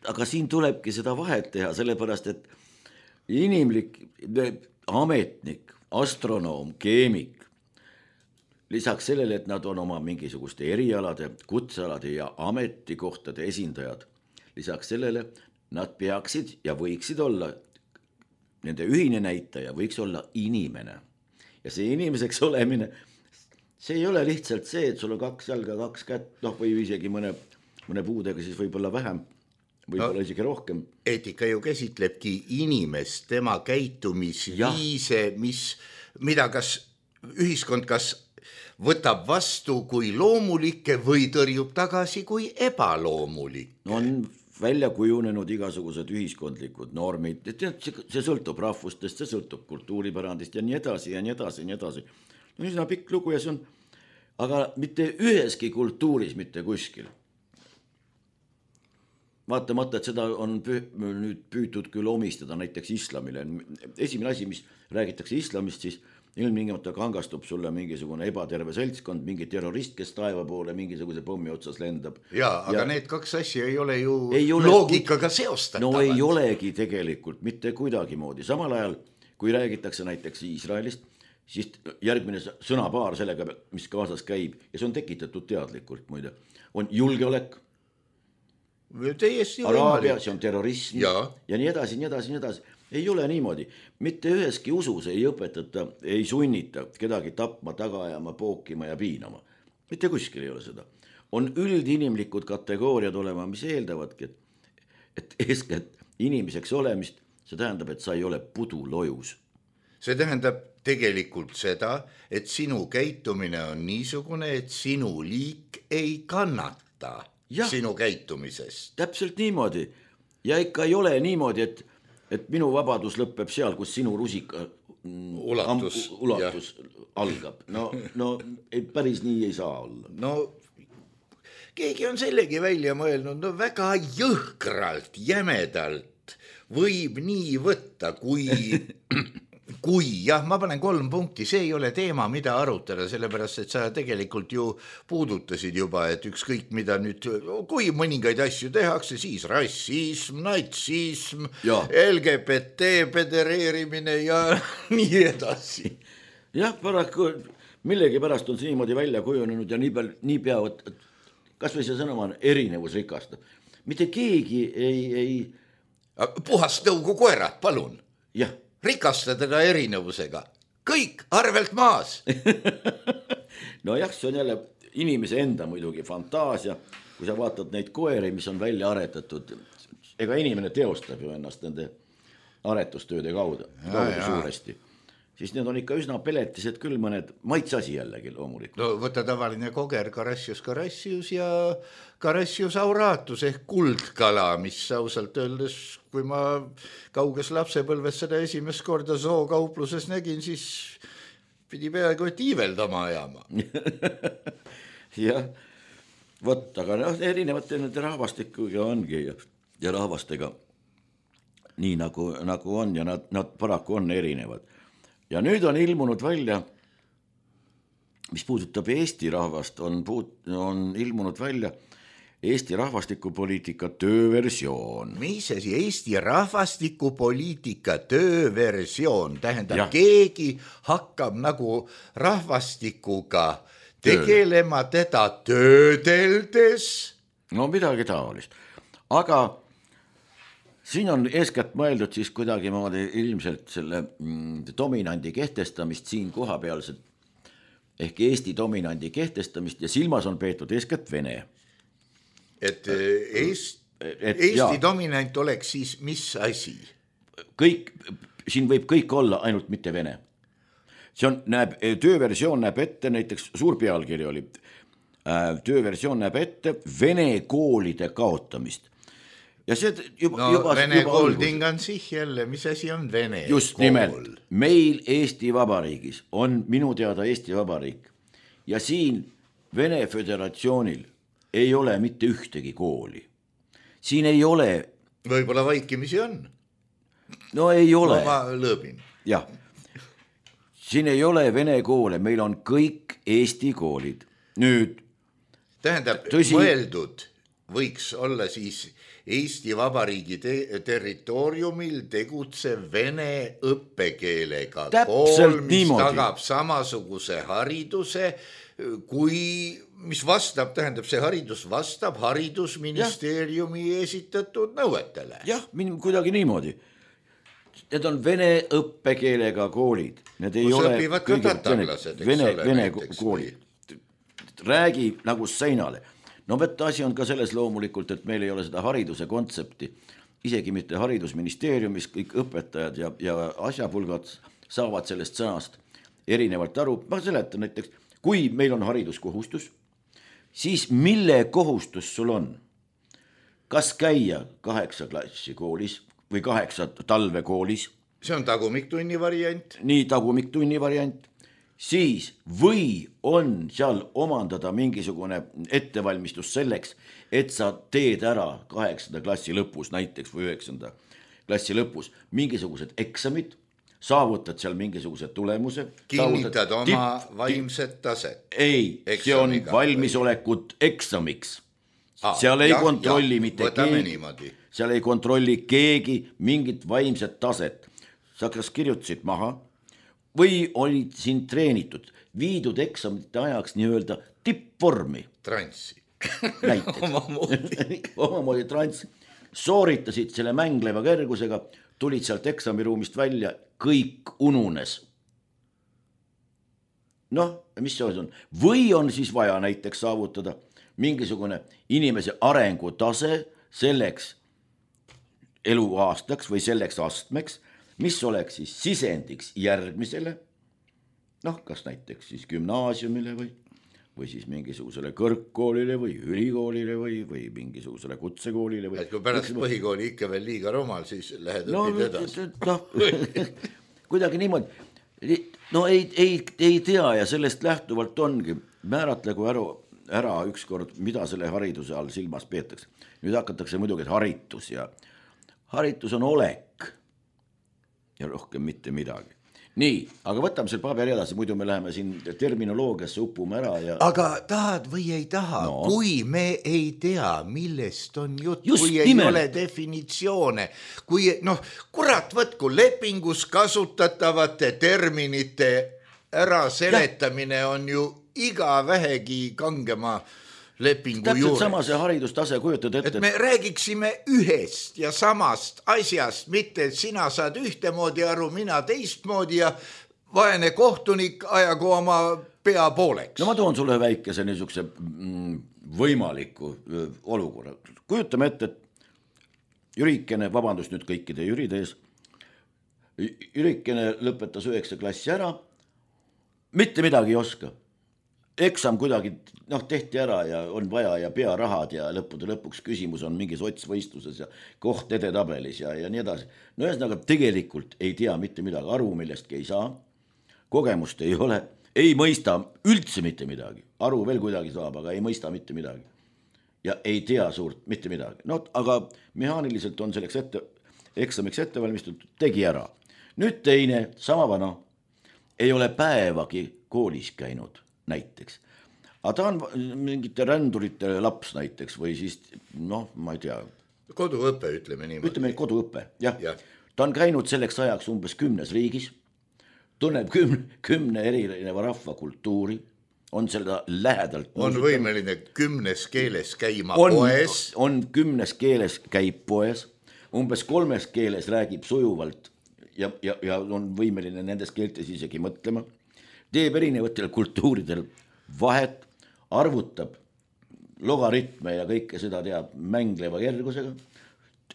aga siin tulebki seda vahet teha, sellepärast, et inimlik ametnik, astronoom, keemik, lisaks sellele, et nad on oma mingisuguste erialade, kutsealade ja ametikohtade esindajad, lisaks sellele nad peaksid ja võiksid olla, nende ühine näitaja võiks olla inimene. Ja see inimeseks olemine, see ei ole lihtsalt see, et sul on kaks jalga, kaks kätt, noh, või isegi mõne, mõne puudega siis võib-olla vähem, võib-olla no, isegi rohkem. Eetika ju käsitlebki inimest, tema käitumisviise, mis, mida kas ühiskond kas võtab vastu kui loomulikke või tõrjub tagasi kui ebaloomulikke. On välja kujunenud igasugused ühiskondlikud normid, see sõltub rahvustest, see sõltub kultuuripärandist ja nii edasi ja nii edasi ja nii edasi. No üsna pikk lugu ja see on, aga mitte üheski kultuuris, mitte kuskil. Vaatamata, et seda on püü, nüüd püütud küll omistada näiteks islamile. Esimene asi, mis räägitakse islamist, siis ilmtingimata kangastub sulle mingisugune ebaterve seltskond, mingi terrorist, kes taeva poole mingisuguse pommi otsas lendab. Jaa, aga ja need kaks asja ei ole ju ei ole loogikaga seostatavad. No ei olegi tegelikult mitte kuidagi moodi. Samal ajal, kui räägitakse näiteks Iisraelist, siis järgmine sõnapaar sellega, mis kaasas käib, ja see on tekitatud teadlikult muide, on julgeolek, Araabia, see on terrorism ja. ja nii edasi, nii edasi, nii edasi. Ei ole niimoodi. Mitte üheski usus ei õpetata, ei sunnita kedagi tapma, taga ajama, pookima ja piinama. Mitte kuskil ei ole seda. On üldinimlikud kategooriad olema, mis eeldavadki, et, et eeskätt inimeseks olemist, see tähendab, et sa ei ole pudulojus. See tähendab tegelikult seda, et sinu käitumine on niisugune, et sinu liik ei kannata. Ja, sinu käitumisest. Täpselt niimoodi. Ja ikka ei ole niimoodi, et, et minu vabadus lõpeb seal, kus sinu rusika ulatus, am, ulatus algab. No, no ei, päris nii ei saa olla. No keegi on sellegi välja mõelnud, no väga jõhkralt, jämedalt võib nii võtta, kui... Kui, jah, ma panen kolm punkti, see ei ole teema, mida arutada, sellepärast, et sa tegelikult ju puudutasid juba, et ükskõik mida nüüd, kui mõningaid asju tehakse, siis rassism, natsism, ja. L G B T pedereerimine ja nii edasi. Jah, paraku millegi pärast on see niimoodi välja kujunenud ja nii, peal, nii peavad, kas või see sõnum on erinevus rikastab. Mitte keegi ei... ei... Puhast tõugu koerad, palun. Jah. Rikasta teda erinevusega. Kõik arvelt maas. No jah, see on jälle inimese enda muidugi fantaasia. Kui sa vaatad neid koeri, mis on välja aretatud, ega inimene teostab ju ennast nende aretustööde kaudu, kaudu suuresti. Siis need on ikka üsna peletised küll mõned maitsasi jällegi loomulikult. No võta tavaline koger, Carassius Carassius ja Carassius auratus ehk kuldkala, mis ausalt öeldes, kui ma kauges lapsepõlves seda esimest korda zookaupluses nägin, siis pidi peaaegu et iiveldama ajama. Jah, võt, aga no, erinevate nende rahvastikuga ongi ja, ja rahvastega nii nagu, nagu on ja nad, nad paraku on erinevad. Ja nüüd on ilmunud välja, mis puudutab Eesti rahvast, on, puut, on ilmunud välja Eesti rahvastikupoliitika tööversioon. Mis asi? Eesti rahvastikupoliitika tööversioon tähendab, ja. Keegi hakkab nagu rahvastikuga tegelema teda töödeldes. No midagi taolist. Aga siin on eeskätt mõeldud siis kuidagi moodi ilmselt selle mm, dominandi kehtestamist siin kohapealselt ehk Eesti dominandi kehtestamist ja silmas on peetud eeskätt Vene. Et Eest, et Eesti jaa, dominant oleks siis mis asi? Kõik, siin võib kõik olla, ainult mitte vene. See on, näeb, tööversioon näeb ette, näiteks suur pealkiri oli, tööversioon näeb ette vene koolide kaotamist. Ja see juba, no juba, vene juba kool tingan sih jälle, mis asi on vene just kool? Nimelt, meil Eesti Vabariigis on minu teada Eesti Vabariik ja siin Vene Föderatsioonil ei ole mitte ühtegi kooli. Siin ei ole... Võib-olla vaikimisi on. No ei ole. No, ma lõõbin. Jah. Siin ei ole vene koole, meil on kõik Eesti koolid. Nüüd... Tähendab, tõsi... mõeldud võiks olla siis... Eesti Vabariigi te- territooriumil tegutsev vene õppekeelega kool, mis niimoodi tagab samasuguse hariduse, kui, mis vastab, tähendab, see haridus vastab haridusministeeriumi ja. Esitatud nõuetele. Jah, kuidagi niimoodi. Need on vene õppekeelega koolid. Need ei Kus ole õpivad ka tatarlased, eks vene, ole. Vene koolid. Räägi nagu seinale. No võtta asi on ka selles loomulikult, et meil ei ole seda hariduse kontsepti, isegi mitte haridusministeeriumis, kõik õpetajad ja, ja asjapulgad saavad sellest sõnast erinevalt aru. Ma seletan näiteks, kui meil on hariduskohustus, siis mille kohustus sul on? Kas käia kaheksa klassi koolis või kaheksa talvekoolis? See on tagumiktunni variant. Nii tagumiktunni variant. Siis või on seal omandada mingisugune ettevalmistus selleks, et sa teed ära kaheksanda klassi lõpus näiteks või üheksanda klassi lõpus mingisugused eksamid, saavutad seal mingisuguse tulemuse. Kinnitad oma tipp, vaimset taset. Ei, see on valmisolekut eksamiks. Ah, seal ei ja, kontrolli ja, mitte keegi, seal ei kontrolli keegi mingit vaimset taset. Sa kas kirjutasid maha, või olid siin treenitud, viidud eksamite ajaks nii-öelda tippvormi. Transsi. Omamoodi. Omamoodi transsi. Sooritasid selle mängleva kergusega, tulid sealt eksamiruumist välja, kõik ununes. Noh, mis see on? Või on siis vaja näiteks saavutada mingisugune inimese arengutase selleks eluaastaks või selleks astmeks, mis oleks siis sisendiks järgmisele, noh, kas näiteks siis gümnaasiumile või, või siis mingisugusele kõrgkoolile või ülikoolile või, või mingisugusele kutsekoolile. Või, et kui pärast või... põhikooli ikka veel liiga romal, siis lähed no, õpid edasi. No, kuidagi niimoodi. No ei, ei, ei tea ja sellest lähtuvalt ongi, määratlegu ära, ära ükskord, mida selle hariduse all silmas peetakse. Nüüd hakatakse muidugi, et haritus ja haritus on olek. Ja rohkem mitte midagi. Nii, aga võtame selle paberi edasi, muidu me läheme siin terminoloogiasse upume ära. Ja... Aga tahad või ei taha, no. Kui me ei tea, millest on jutt, just kui nimel. Ei ole definitsioone, kui noh, kurat võtku lepingus kasutatavate terminite ära seletamine ja. On ju iga vähegi kangema lepingu täpselt juures. Sama see haridustase kujutad ette. Et me räägiksime ühest ja samast asjast, mitte et sina saad ühtemoodi aru, mina teistmoodi ja vaene kohtunik ajagu oma pea pooleks. No ma toon sulle väikese niisuguse võimaliku olukorra. Kujutame ette, et Jürikene, vabandust nüüd kõikide Jüride ees, Jürikene lõpetas üheksa klassi ära, mitte midagi ei oska. Eksam kuidagi noh, tehti ära ja on vaja ja pearahad ja lõppude lõpuks küsimus on mingis otsvõistluses ja koht edetabelis ja, ja nii edasi. No ühesõnaga tegelikult ei tea mitte midagi, aru millestki ei saa, kogemust ei ole, ei mõista üldse mitte midagi, aru veel kuidagi saab, aga ei mõista mitte midagi ja ei tea suurt mitte midagi. No aga mehaaniliselt on selleks ette, eksamiks ette valmistatud, tegi ära. Nüüd teine, sama vana, ei ole päevagi koolis käinud näiteks. Aga ta on mingite rändurite laps näiteks või siis, noh, ma ei tea. Koduõpe, ütleme niimoodi. Ütleme koduõpe, jah. Ja. Ta on käinud selleks ajaks umbes kümnes riigis, tunneb kümne, kümne erineva rahvakultuuri, on seda lähedalt. On võimeline kümnes keeles käima on, poes. On kümnes keeles käib poes, umbes kolmes keeles räägib sujuvalt ja, ja, ja on võimeline nendes keeltes isegi mõtlema. Teeb erinevatel kultuuridel vahet, arvutab logaritme ja kõike seda teab mängleva järgusega,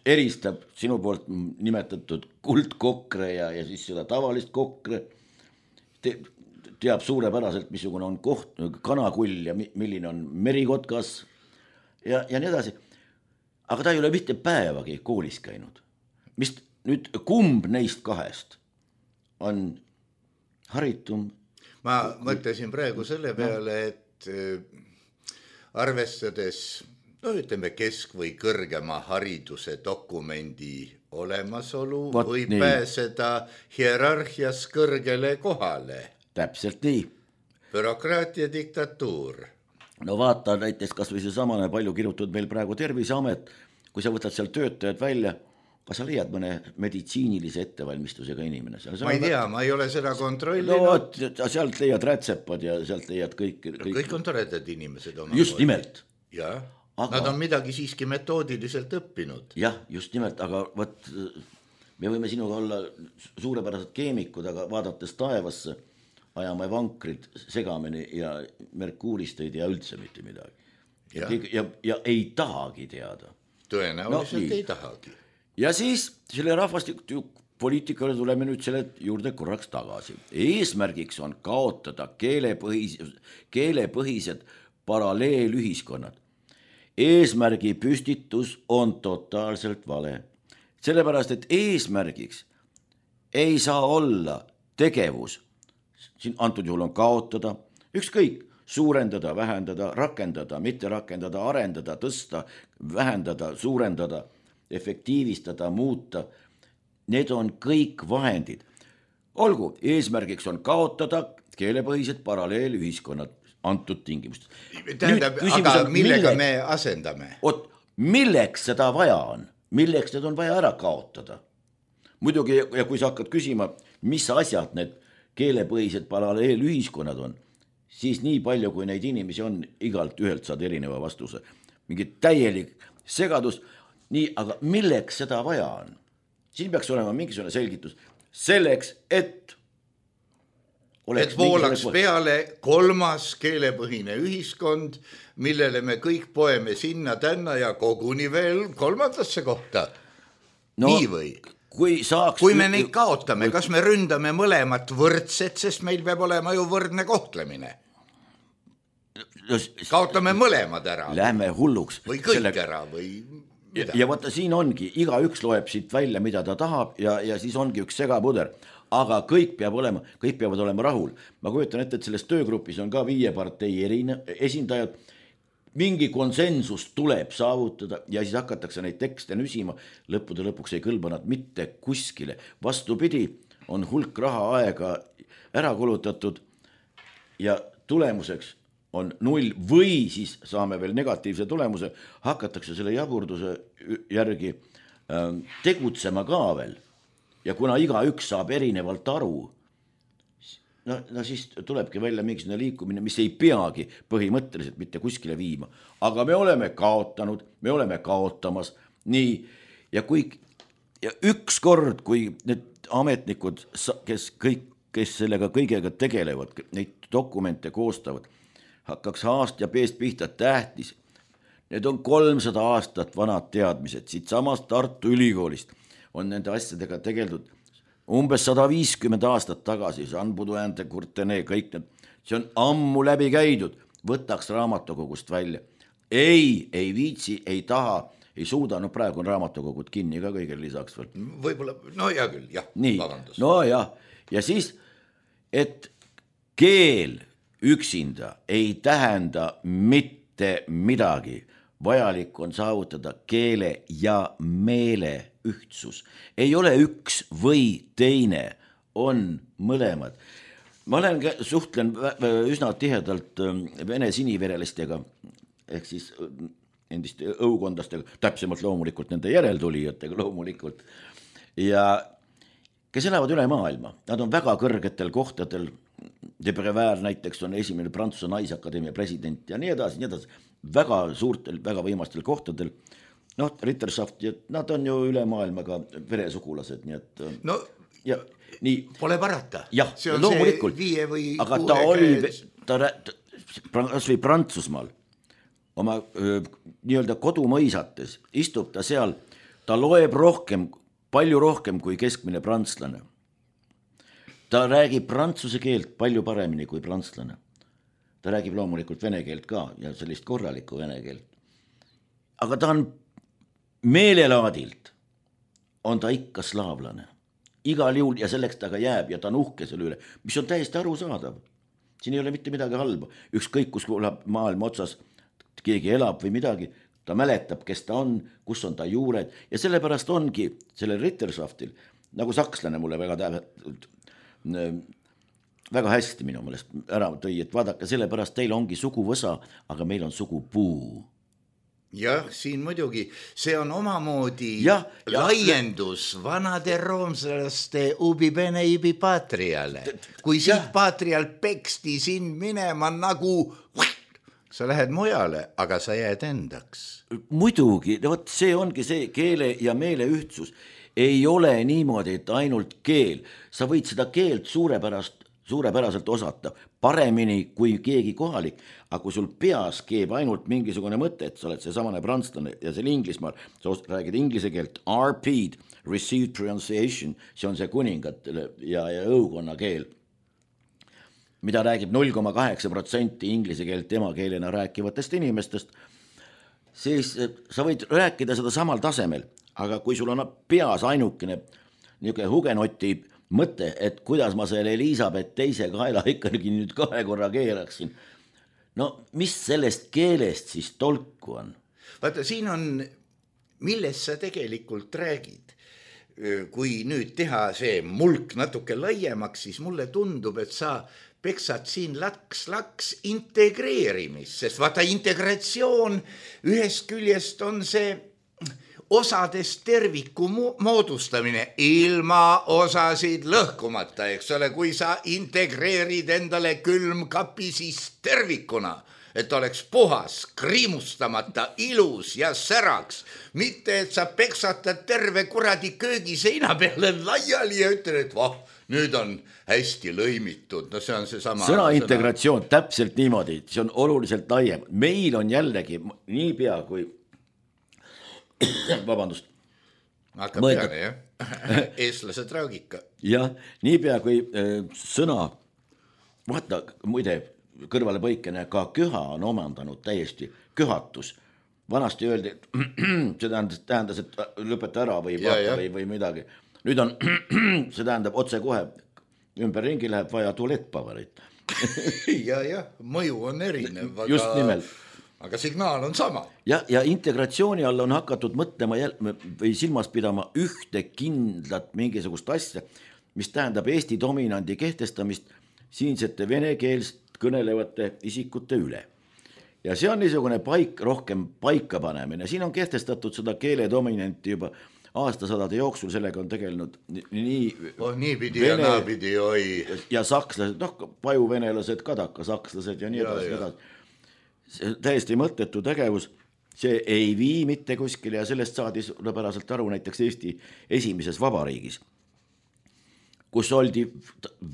eristab sinu poolt nimetatud kuldkokre ja, ja siis seda tavalist kokre, Te, teab suurepäraselt, missugune on koht, kanakull ja milline on merikotkas ja, ja nii edasi. Aga ta ei ole mitte päevagi koolis käinud. Mis nüüd kumb neist kahest on haritum? Ma mõtlesin praegu selle peale, et arvestades, no ütleme kesk- või kõrgema hariduse dokumendi olemasolu Vat võib nii. Pääseda hierarhias kõrgele kohale. Täpselt nii. Bürokraatia diktatuur. No vaata näiteks kas või see samane palju kirjutatud meil praegu Terviseamet, kui sa võtad seal töötajad välja, kas sa leiad mõne meditsiinilise ettevalmistusega inimene? Ma ei tea, ma ei ole seda kontrollinud. No sealt leiad rätsepad ja sealt leiad kõik. Kõik, kõik on toredad inimesed. Just moodi. Nimelt. Ja, aga... nad on midagi siiski metoodiliselt õppinud. Jah, just nimelt, aga võt, me võime sinuga olla suurepärased keemikud, aga vaadates taevasse, ajame vankrid segamini ja merkuuristeid ja üldse mitte midagi. Ja, ja, ja, ja ei tahagi teada. Tõenäoliselt no, ei tahagi. Ja siis selle rahvastikupoliitikale tuleme nüüd selle juurde korraks tagasi. Eesmärgiks on kaotada keelepõhis, keelepõhised paralleelühiskonnad. Eesmärgi püstitus on totaalselt vale. Sellepärast, et eesmärgiks ei saa olla tegevus, siin antud juhul on kaotada, ükskõik, suurendada, vähendada, rakendada, mitte rakendada, arendada, tõsta, vähendada, suurendada, efektiivistada, muuta. Need on kõik vahendid. Olgu, eesmärgiks on kaotada keelepõhised paralleelühiskonnad antud tingimust. Tähendab, aga on, millega milleks, me asendame? Oot, milleks seda vaja on? Milleks need on vaja ära kaotada? Muidugi, ja kui sa hakkad küsima, mis asjad need keelepõhised paralleelühiskonnad on, siis nii palju, kui neid inimesi on, igalt ühelt saad erineva vastuse. Mingi täielik segadus, nii, aga milleks seda vaja on? Siin peaks olema mingisugune selgitus. Selleks, et et voolaks peale kolmas keelepõhine ühiskond, millele me kõik poeme sinna tänna ja koguni veel kolmandasse kohta. No, nii või? Kui, saaks... kui me neid kaotame, kas me ründame mõlemat võrdset, sest meil peab olema ju võrdne kohtlemine. Kaotame mõlemad ära. Lähme hulluks. Või kõik selle... ära või mida. Ja, ja vaata, siin ongi, iga üks loeb siit välja, mida ta tahab ja, ja siis ongi üks segapuder. Aga kõik peab olema, kõik peavad olema rahul. Ma kujutan ette, et selles töögrupis on ka viie partei erine, esindajad. Mingi konsensus tuleb saavutada ja siis hakatakse neid tekste nüsima. Lõppude lõpuks ei kõlba nad mitte kuskile. Vastupidi, on hulk raha aega ära kulutatud ja tulemuseks on null või siis saame veel negatiivse tulemuse. Hakatakse selle jaburduse järgi äh, tegutsema ka veel. Ja kuna iga üks saab erinevalt aru, no, no siis tulebki välja mingisugune liikumine, mis ei peagi põhimõtteliselt mitte kuskile viima. Aga me oleme kaotanud, me oleme kaotamas. Nii, ja, kui, ja üks kord, kui need ametnikud, kes, kõik, kes sellega kõigega tegelevad, neid dokumente koostavad, hakkaks aast ja peest pihta tähtis. Need on kolmsada aastat vanad teadmised, siit samast Tartu Ülikoolist. On nende asjadega tegeldud umbes sada viiskümmend aastat tagasi, Jean Baudouin de Courtenay, kõik need, see on ammu läbi käidud, võtaks raamatukogust välja. Ei, ei viitsi, ei taha, ei suuda, no praegu on raamatukogud kinni ka kõigele lisaks veel. Võib-olla, no hea küll, jah, nii, vabandus. No jah, ja siis, et keel üksinda ei tähenda mitte midagi, vajalik on saavutada keele ja meele ühtsus. Ei ole üks või teine, on mõlemad. Ma olen, suhtlen üsna tihedalt vene siniverelistega, ehk siis endiste õukondlastega, täpsemalt loomulikult nende järeltulijatega loomulikult, ja kes elavad üle maailma. Nad on väga kõrgetel kohtadel, De Prévert näiteks on esimene Prantsuse naisakadeemia president ja nii edasi, nii edasi. Väga suurtel, väga võimastel kohtadel. Noh, Ritterschaft, nad on ju üle maailmaga veresugulased, nii et... No, ja, nii, pole parata. Jah, see on loomulikult. See viie või aga ta oli, ta, ta, kas või Prantsusmaal, oma öö, nii-öelda kodumõisates, istub ta seal, ta loeb rohkem, palju rohkem kui keskmine prantslane. Ta räägib prantsuse keelt palju paremini kui prantslane. Ta räägib loomulikult vene keelt ka ja sellist korralikku vene keelt. Aga ta on meelelaadilt, on ta ikka slaavlane. Igal juhul ja selleks ta ka jääb ja ta on uhke selle üle, mis on täiesti arusaadav. Siin ei ole mitte midagi halba. Ükskõik, kus maailma otsas keegi elab või midagi, ta mäletab, kes ta on, kus on ta juured ja sellepärast ongi sellel Rittersoftil, nagu sakslane mulle väga tähendab, väga hästi minu meelest ära tõi, et vaadake, sellepärast teil ongi suguvõsa, aga meil on sugupuu. Jah, siin muidugi, see on omamoodi ja, laiendus ja, vanade roomslaste ubi bene ibi patriale. Kui siit patrial peksti sind minema nagu, sa lähed mujale, aga sa jääd endaks. Muidugi, võt, see ongi see keele ja meele ühtsus. Ei ole niimoodi, et ainult keel. Sa võid seda keelt suurepärast suurepäraselt osata, paremini kui keegi kohalik, aga kui sul peas keeb ainult mingisugune mõte, et sa oled see samane prantslane ja see Inglismaal, sa räägid inglise keelt, R P, Received Pronunciation, see on see kuningat ja, ja õukonna keel, mida räägib null koma kaheksa protsenti inglise keelt emakeelena rääkivatest inimestest, siis sa võid rääkida seda samal tasemel, aga kui sul on peas ainukene niisugune hugenoti mõte, et kuidas ma selle Elisabeth teise kaela ikkagi nüüd kahe korra keeraksin. No mis sellest keelest siis tolku on? Vaata, siin on, millest sa tegelikult räägid. Kui nüüd teha see mulk natuke laiemaks, siis mulle tundub, et sa peksad siin laks-laks integreerimist, sest vaata integratsioon ühest küljest on see osadest terviku moodustamine ilma osasid lõhkumata, eks ole, kui sa integreerid endale külmkapi siis tervikuna, et oleks puhas, kriimustamata, ilus ja säraks, mitte et sa peksatad terve kuradi köögiseina peale laiali ja ütled, et vah, nüüd on hästi lõimitud, no see on see sama sõna integratsioon, sõna. Täpselt niimoodi, see on oluliselt laiem, meil on jällegi nii pea kui vabandust. Hakkab peale, jah. Eestlased raugika. Jah, niipea kui äh, sõna, vaata, muide, kõrvale põikene, ka köha on omandanud täiesti köhatus. Vanasti öeldi, et see tähendas, tähendas, et lõpeta ära või, ja, ja. või, või midagi. Nüüd on, see tähendab otse kohe, ümber ringi läheb vaja tualettpavarit. ja, ja, mõju on erinev. Aga... Just nimelt. Aga signaal on sama. Ja, ja integratsiooni all on hakatud mõtlema jäl, või silmas pidama ühte kindlat mingisugust asja, mis tähendab Eesti dominandi kehtestamist siinsete venekeelst kõnelevate isikute üle. Ja see on niisugune paik, rohkem paika panemine. Siin on kehtestatud seda keele dominanti juba aastasadade jooksul, sellega on tegelenud nii... Oh, nii pidi vene, ja naapidi, oi. Ja sakslased, noh, pajuvenelased, kadaka sakslased ja nii edasi ja, edasi. See täiesti mõttetu tegevus, see ei vii mitte kuskile ja sellest saadi suurepäraselt aru näiteks Eesti esimeses vabariigis, kus oldi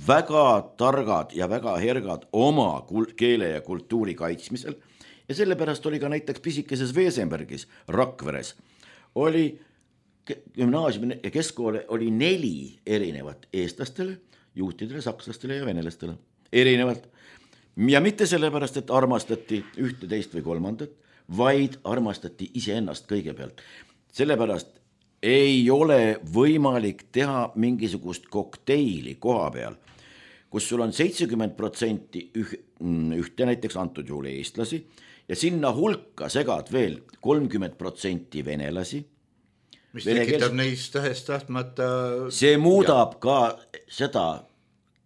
väga targad ja väga hergad oma keele ja kultuuri kaitsmisel ja sellepärast oli ka näiteks pisikeses Veesenbergis, Rakveres, oli gümnaasiumi ja keskkoole oli neli erinevat eestlastele, juutidele, sakslastele ja venelastele, erinevalt. Ja mitte sellepärast, et armastati ühte, teist või kolmandat, vaid armastati iseennast kõigepealt. Sellepärast ei ole võimalik teha mingisugust kokteili koha peal, kus sul on seitsekümmend protsenti ühte näiteks antud juhul eestlasi ja sinna hulka segad veel kolmkümmend protsenti venelasi. Mis tekitab neist tähest tahtmata... See muudab ja. Ka seda,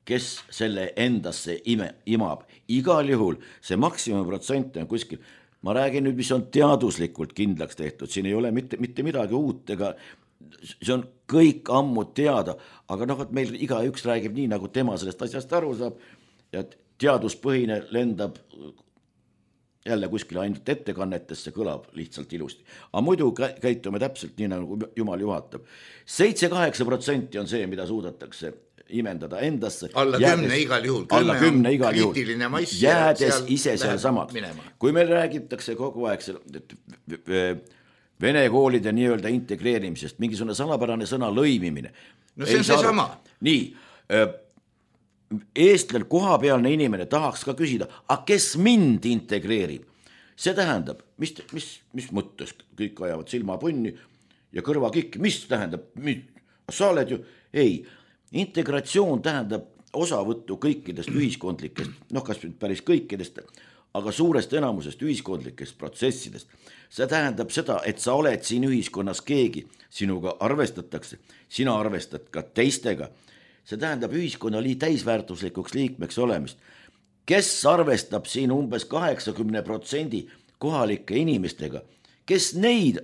kes selle endasse ime, imab. Igal juhul see maksimum protsent on kuskil. Ma räägin nüüd, mis on teaduslikult kindlaks tehtud. Siin ei ole mitte, mitte midagi uut, ega see on kõik ammu teada, aga noh, et meil igaüks räägib nii, nagu tema sellest asjast aru saab ja teaduspõhine lendab jälle kuskile ainult ettekannetesse, kõlab lihtsalt ilusti. Aga muidu käitume täpselt nii, nagu Jumal juhatab. seitse kaheksa protsenti on see, mida suudetakse imendada endasse. Alla jäädes, kümne igal juhul. Alla kümne igal juhul. Jäädes seal ise seal samad. Kui meil räägitakse kogu aeg vene koolide nii-öelda integreerimisest, mingisugune salapärane sõna lõimimine. No see on see sama. Nii, eestlel kohapealne inimene tahaks ka küsida, a kes mind integreerib? See tähendab, mis, mis, mis mõttes kõik ajavad silmapunni ja kõrvakikki, mis tähendab, mis, sa oled ju, ei, integratsioon tähendab osavõttu kõikidest ühiskondlikest, noh kas päris kõikidest, aga suurest enamusest ühiskondlikest protsessidest. See tähendab seda, et sa oled siin ühiskonnas keegi, sinuga arvestatakse, sina arvestad ka teistega. See tähendab ühiskonnali täisväärtuslikuks liikmeks olemist. Kes arvestab siin umbes kaheksakümne protsendi kohalike inimestega, kes neid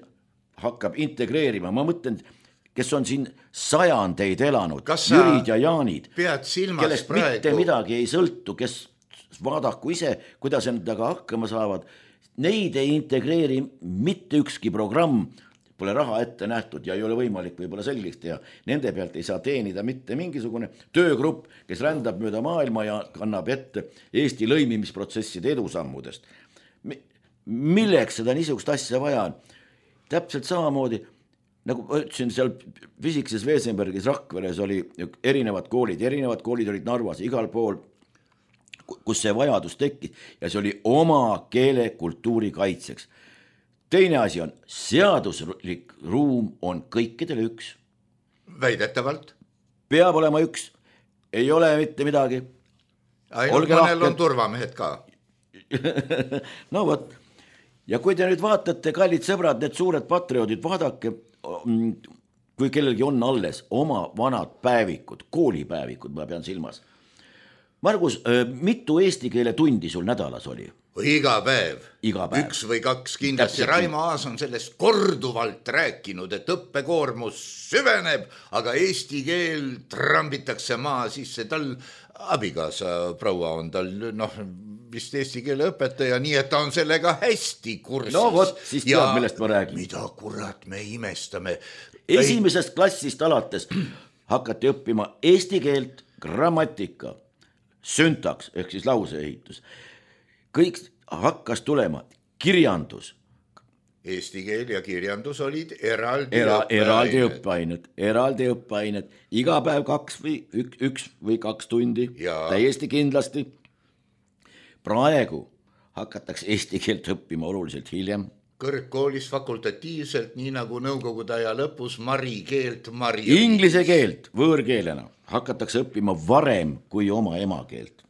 hakkab integreerima, ma mõtlen, kes on siin sajandeid elanud, Jürid ja Jaanid, kellest praegu mitte midagi ei sõltu, kes vaadaku ise, kuidas endaga hakkama saavad, neid ei integreeri mitte ükski programm, pole raha ette nähtud ja ei ole võimalik võib-olla selgeks teha. Nende pealt ei saa teenida mitte mingisugune töögrupp, kes rändab mööda maailma ja kannab ette Eesti lõimimisprotsesside edusammudest. Milleks seda niisugust asja vaja on? Täpselt samamoodi, nagu ma ütlesin, seal Fisiksises Vesenbergis Rakveres oli erinevad koolid, erinevad koolid olid Narvas, igal pool, kus see vajadus tekkis ja see oli oma keele kultuuri kaitseks. Teine asi on, seaduslik ruum on kõikidele üks. Väidetavalt. Peab olema üks. Ei ole mitte midagi. Ainult mõnel on turvamehed ka. No võt. Ja kui te nüüd vaatate, kallid sõbrad, need suured patrioodid, vaadake, kui kellelgi on alles oma vanad päevikud, koolipäevikud, ma pean silmas. Margus, mitu eesti keele tundi sul nädalas oli? Iga päev. Iga päev. Üks või kaks kindlasti. Raimo Aas on sellest korduvalt rääkinud, et õppekoormus süveneb, aga eesti keel trambitakse maa sisse. Tal abikaasa proua on tal noh, vist eesti keele õpetaja, nii et ta on sellega hästi kursis. No vot, siis tead, ja millest ma räägin. Mida kurat me imestame. Esimesest klassist alates hakati õppima eesti keelt, grammatika, süntaks ehk siis lauseehitus. Kõik hakkas tulema kirjandus. Eesti keel ja kirjandus olid eraldi Era, eraldi õppeained. Eraldi õppeained. Iga päev kaks või üks, üks või kaks tundi. Ja. Täiesti kindlasti. Praegu hakatakse eesti keelt õppima oluliselt hiljem. Kõrgkoolis fakultatiivselt, nii nagu nõukogude aja lõpus mari keelt. Mari Inglise keelt võõrkeelena hakatakse õppima varem kui oma emakeelt.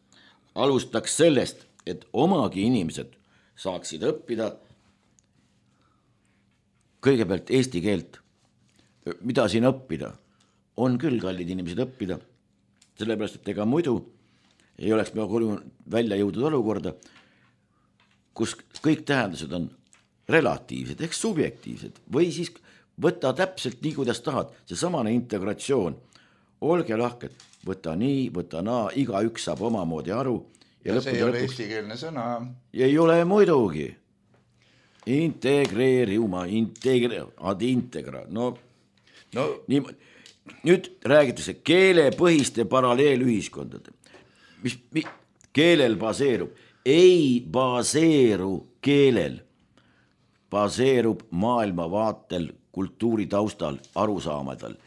Alustaks sellest, et omagi inimesed saaksid õppida kõigepealt eesti keelt. Mida siin õppida? On küll kallid inimesed õppida, sellepärast, et ega muidu ei oleks me välja jõudnud olukorda, kus kõik tähendused on relatiivsed ehk subjektiivsed või siis võtta täpselt nii, kuidas tahad. See samane integratsioon. Olge lahked, võta nii, võta naa, iga üks saab omamoodi aru. Ja, ja see ei ole eestikeelne sõna. Ei ole muidugi. Integreeriuma, integre, ad integra. No, no. Nii, nüüd räägitakse keelepõhiste paralleelühiskondade. Mis, mis keelel baseerub? Ei baseeru keelel. Baseerub maailmavaatel, kultuuritaustal, arusaamadel,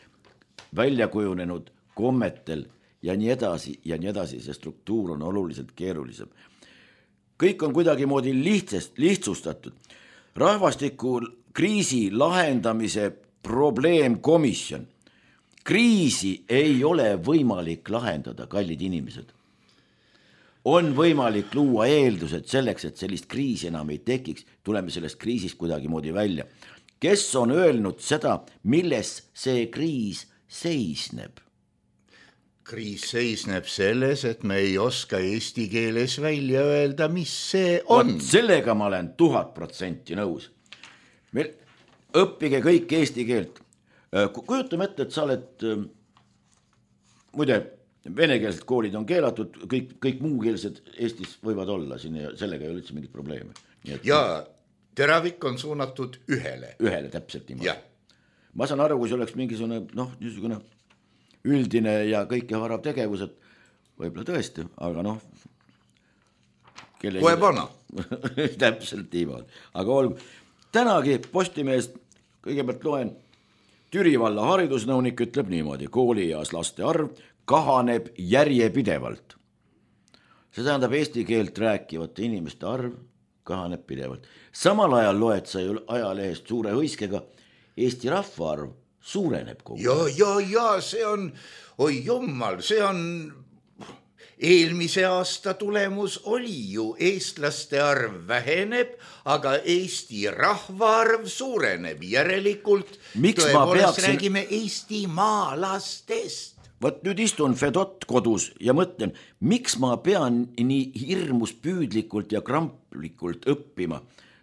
väljakujunenud kommetel ja nii edasi ja nii edasi, see struktuur on oluliselt keerulisem. Kõik on kuidagi moodi lihtsast, lihtsustatud. Rahvastiku kriisi lahendamise probleemkomisjon. Kriisi ei ole võimalik lahendada, kallid inimesed. On võimalik luua eeldused selleks, et sellist kriisi enam ei tekiks, tuleme sellest kriisist kuidagi moodi välja. Kes on öelnud seda, milles see kriis seisneb? Kriis seisneb selles, et me ei oska eesti keeles välja öelda, mis see on. Võt, sellega ma olen tuhat protsenti nõus. Meil õppige kõik eesti keelt. Kujutame ette, et sa oled, muide, venekeelsed koolid on keelatud, kõik, kõik muukeelsed Eestis võivad olla siin ja sellega ei ole üldse mingit probleemi. Et... Ja teravik on suunatud ühele. Ühele, täpselt niimoodi. Ma saan aru, kui see oleks mingisugune, noh, niisugune üldine ja kõike harav tegevused, võib-olla tõesti, aga noh. Kohe pana. Täpselt niimoodi, aga olgu. Tänagi Postimehest kõigepealt loen, Türi valla haridusnõunik ütleb niimoodi, koolieas laste arv kahaneb järjepidevalt. See tähendab eesti keelt rääkivate inimeste arv kahaneb pidevalt. Samal ajal loed sa ju ajalehest suure hõiskega, Eesti rahvaarv suureneb kogu. Ja, ja, ja, see on, oi jummal, see on eelmise aasta tulemus oli ju eestlaste arv väheneb, aga Eesti rahvaarv suureneb. Järelikult Miks tõepoolest peaksin... räägime Eesti maalastest. Võt nüüd istun Fedot kodus ja mõtlen, miks ma pean nii hirmus püüdlikult ja kramplikult õppima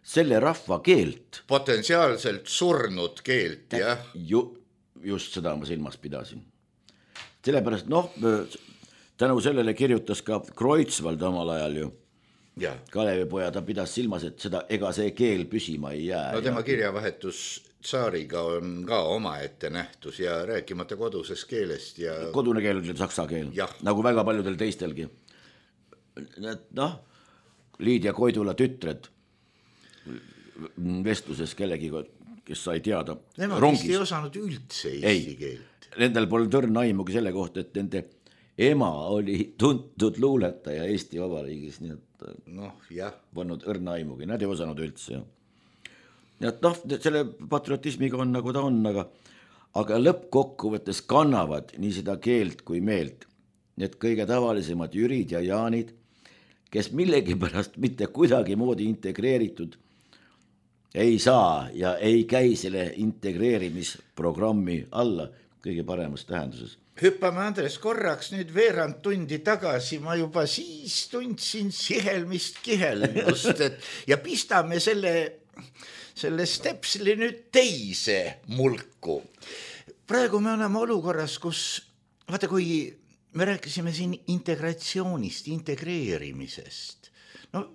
selle rahva keelt. Potentsiaalselt surnud keelt, jah. Ju, just seda ma silmas pidasin. Sellepärast, noh, tänu sellele kirjutas ka Kreutzwald omal ajal ju. Ja. Kalevipoja, ta pidas silmas, et seda, ega see keel püsima ei jää. No tema kirjavahetus tsaariga on ka oma ette nähtus ja rääkimata koduses keelest. Ja... Kodune keel oli saksa keel, ja. Nagu väga paljudel teistelgi. Noh, Liidia Koidula tütred vestluses kellegi, kes sai teada Nemad rongis. Nemad ei osanud üldse eesti keelt. Nendel pole tõrn aimugi selle kohta, et nende ema oli tuntud luuletaja Eesti Vabariigis, nii et noh, jah. Polnud õrna aimugi, nad ei osanud üldse. Nii et noh, selle patriotismiga on nagu ta on, aga, aga lõppkokkuvõttes kannavad nii seda keelt kui meelt. Need kõige tavalisemad Jürid ja Jaanid, kes millegipärast mitte kuidagi moodi integreeritud ei saa ja ei käi selle integreerimisprogrammi alla kõige paremas tähenduses. Hüppame Andres korraks nüüd veerand tundi tagasi, ma juba siis tundsin sihelmist kihelmust, et ja pistame selle, selle stepsli nüüd teise mulku. Praegu me oleme olukorras, kus, vaata kui me rääkisime siin integratsioonist, integreerimisest, no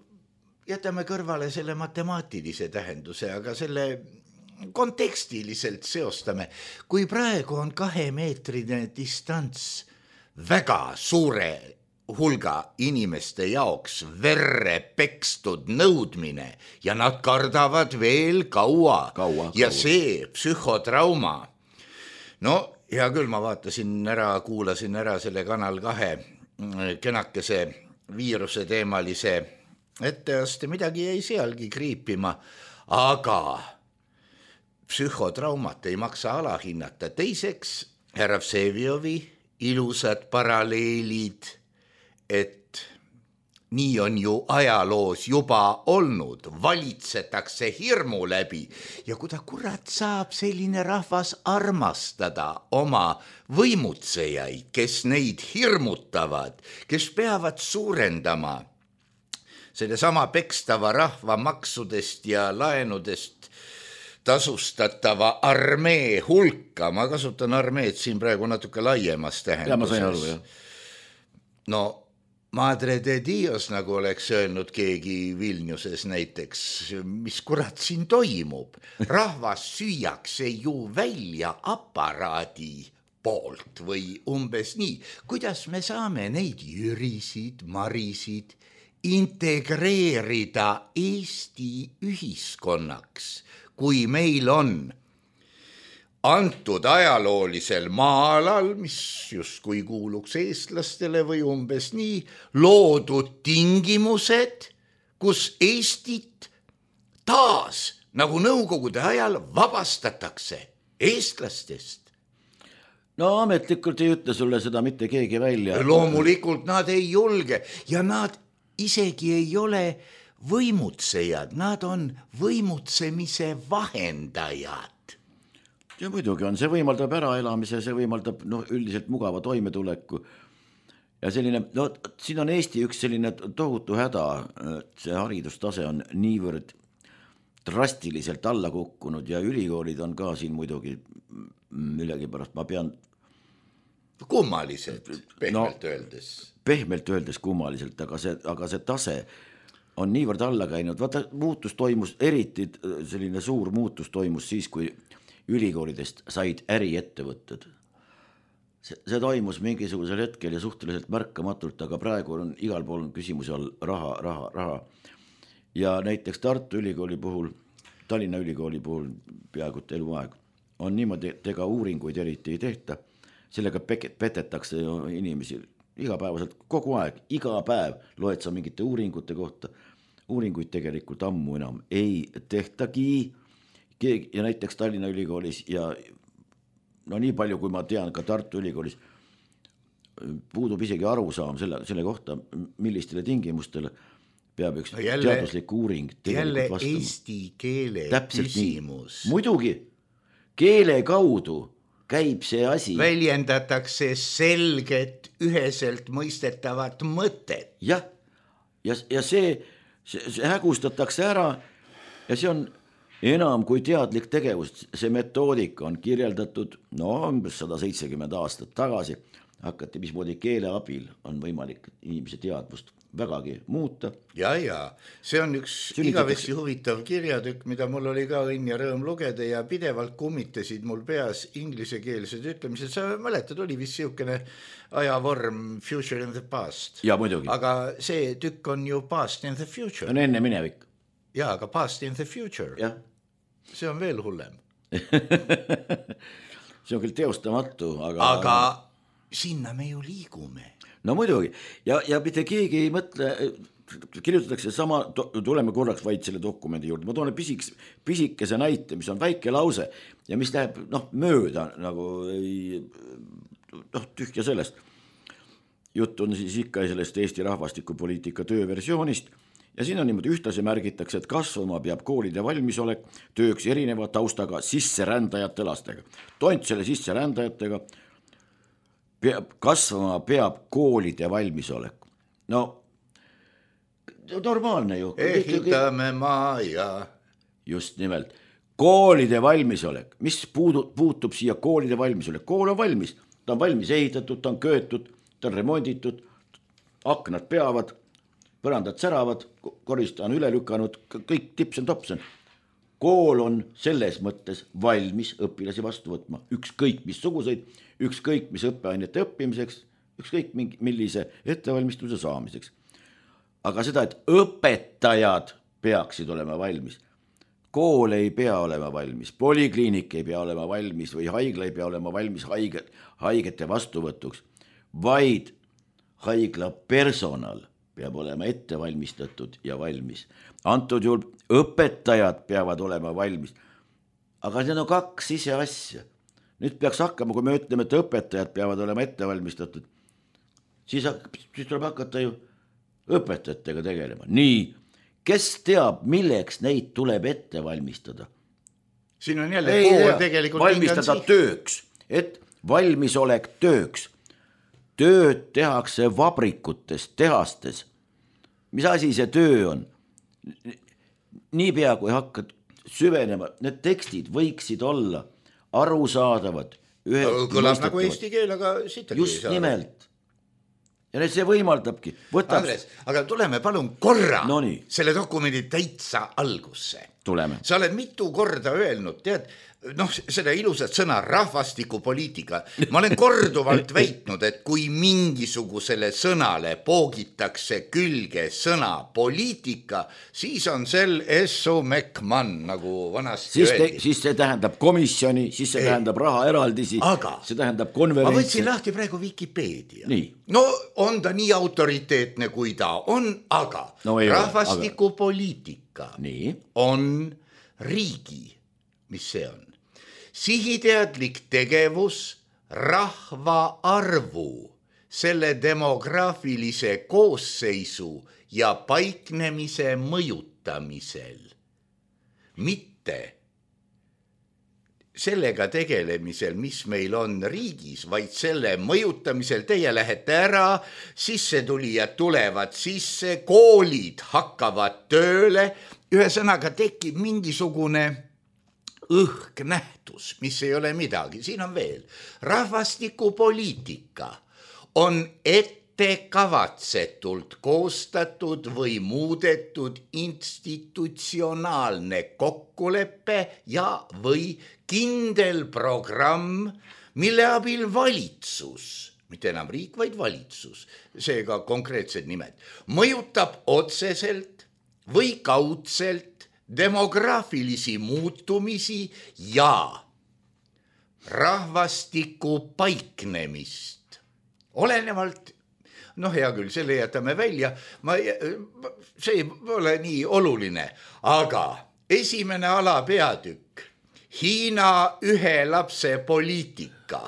jätame kõrvale selle matemaatilise tähenduse, aga selle kontekstiliselt seostame, kui praegu on kahemeetrine distants väga suure hulga inimeste jaoks verre pekstud nõudmine ja nad kardavad veel kaua, kaua ja kaua. See psühhotrauma. No hea küll, ma vaatasin ära, kuulasin ära selle Kanal kahe kenakese viiruse teemalise etteaste, midagi jäi sealgi kriipima, aga psühhotraumat ei maksa alahinnata. Teiseks, härra Vseviovi ilusad paralleelid, et nii on ju ajaloos juba olnud, valitsetakse hirmu läbi ja kui ta kurat saab selline rahvas armastada oma võimutsejaid, kes neid hirmutavad, kes peavad suurendama selle sama pekstava rahva maksudest ja laenudest tasustatava armee hulka. Ma kasutan armeed siin praegu natuke laiemas tähenduses. Ja ma sain aru, jah. No, Madre de Dios, nagu oleks öelnud keegi Vilniuses näiteks, mis kurat siin toimub. Rahvas süüakse ju välja aparaadi poolt või umbes nii. Kuidas me saame neid Jürisid, Marisid integreerida Eesti ühiskonnaks, kui meil on antud ajaloolisel maa-alal, mis justkui kuuluks eestlastele või umbes nii, loodud tingimused, kus Eestit taas, nagu nõukogude ajal, vabastatakse eestlastest. No ametlikult ei ütle sulle seda mitte keegi välja. Loomulikult nad ei julge ja nad isegi ei ole võimutsejad, nad on võimutsemise vahendajad. Ja muidugi on, see võimaldab äraelamise, see võimaldab no, üldiselt mugava toimetuleku. Ja selline, no siin on Eesti üks selline tohutu häda, see haridustase on niivõrd drastiliselt alla kukkunud ja ülikoolid on ka siin muidugi millegi pärast, ma pean kummalised, pehmelt no, öeldes. Pehmelt öeldes kummaliselt, aga see, aga see tase on niivõrd alla käinud. Vaata, muutus toimus, eriti selline suur muutus toimus siis, kui ülikoolidest said äriettevõtted. see, see toimus mingisugusel hetkel ja suhteliselt märkamatult, aga praegu on igal pool küsimusi all raha, raha, raha. Ja näiteks Tartu Ülikooli puhul, Tallinna Ülikooli puhul peaaegu eluaeg on niimoodi, et ega uuringuid eriti ei tehta, sellega petetakse inimesi igapäevaselt kogu aeg, iga päev loed sa mingite uuringute kohta, uuringuid tegelikult ammu enam ei tehtagi ja näiteks Tallinna Ülikoolis ja no nii palju, kui ma tean ka Tartu Ülikoolis puudub isegi arusaam selle, selle kohta, millistele tingimustele peab üks no jälle, teaduslik uuring jälle vastama. Eesti keele täpselt küsimus. Nii. Muidugi, keele kaudu käib see asi. Väljendatakse selget, üheselt mõistetavat mõtet. Jah, ja, ja see, see, see hägustatakse ära ja see on enam kui teadlik tegevus. See metoodika on kirjeldatud no umbes sada seitsekümmend aastat tagasi. Hakati, mismoodi keele abil on võimalik inimese teadvust vägagi muuta. Ja, ja, see on üks igavesti huvitav kirjatükk, mida mul oli ka õnn ja rõõm lugeda ja pidevalt kummitasid mul peas inglisekeelsed ütlemised. Sa mäletad, oli vist siukene ajavorm future in the past. Ja muidugi. Aga see tükk on ju past in the future. On enne minevik. Ja, aga past in the future. Ja. See on veel hullem. See on küll teostamatu, aga... Aga sinna me ju liigume. No muidugi, ja, ja mitte keegi ei mõtle, kirjutatakse sama, tuleme korraks vaid selle dokumendi juurde, ma toon pisik, pisikese näite, mis on väike lause ja mis läheb noh, mööda, nagu ei, noh, tühja sellest. Jutt on siis ikka sellest Eesti rahvastikupoliitika tööversioonist ja siin on niimoodi ühtlasi märgitakse, et kasvama peab koolide valmisolek tööks erineva taustaga sisserändajate lastega. Tont selle sisserändajatega peab, kasvama peab koolide valmisolek. No, normaalne ju. Ehitame maja. Just nimelt. Koolide valmisolek. Mis puudub, puutub siia koolide valmisolek? Kool on valmis. Ta on valmis ehitatud, ta on köötud, ta on remonditud, aknad peavad, põrandad säravad, korista on üle lükanud, kõik tipsen topsen. Kool on selles mõttes valmis õpilasi vastu võtma. Ükskõik missuguseid, ükskõik mis õppeainete õppimiseks, ükskõik millise ettevalmistuse saamiseks. Aga seda, et õpetajad peaksid olema valmis. Kool ei pea olema valmis, polikliinik ei pea olema valmis või haigla ei pea olema valmis haiget, haigete vastuvõtuks, vaid haigla personal peab olema ettevalmistatud ja valmis. Antud juhul õpetajad peavad olema valmis. Aga see on kaks ise asja. Nüüd peaks hakkama, kui me ütleme, et õpetajad peavad olema ettevalmistatud, siis, siis tuleb hakata ju õpetajatega tegelema. Nii, kes teab, milleks neid tuleb ette valmistada? Siin on jälle pool tegelikult valmistada tööks, et valmisolek tööks. Tööd tehakse vabrikutes, tehastes. Mis asi see töö on? Niipea, kui hakkad süvenema, need tekstid võiksid olla arusaadavad. Kõlas nagu eesti keel, aga siit just nimelt. Ja see võimaldabki. Võtab... Andres, aga tuleme palun korra no selle dokumendi täitsa algusse. Tuleme. Sa oled mitu korda öelnud, tead, noh, seda ilusat sõna rahvastikupoliitika. Ma olen korduvalt väitnud, et kui mingisugusele sõnale poogitakse külge sõna poliitika, siis on sel Esso Mekman, nagu vanasti siis öeldi. Te, siis see tähendab komisjoni, siis see Ei. tähendab raha eraldisi, aga see tähendab konverentsi. Ma võtsin lahti praegu Wikipedia. Nii. No on ta nii autoriteetne, kui ta on, aga no rahvastikupoliitika Nii. on riigi, mis see on? Sihiteadlik tegevus rahva arvu, selle demograafilise koosseisu ja paiknemise mõjutamisel. Mitte sellega tegelemisel, mis meil on riigis, vaid selle mõjutamisel. Teie lähete ära, sissetulijad tulevad sisse, koolid hakkavad tööle, ühesõnaga tekib mingisugune õhknähtus, mis ei ole midagi. Siin on veel. Rahvastikupoliitika on ettekavatsetult koostatud või muudetud institutsionaalne kokkulepe ja või kindel programm, mille abil valitsus, mitte enam riik, vaid valitsus, seega konkreetsed nimed, mõjutab otseselt või kaudselt demograafilisi muutumisi ja rahvastiku paiknemist. Olenevalt, noh hea küll, selle jätame välja, ma, see ei ole nii oluline, aga esimene alapeatükk, Hiina ühe lapse poliitika,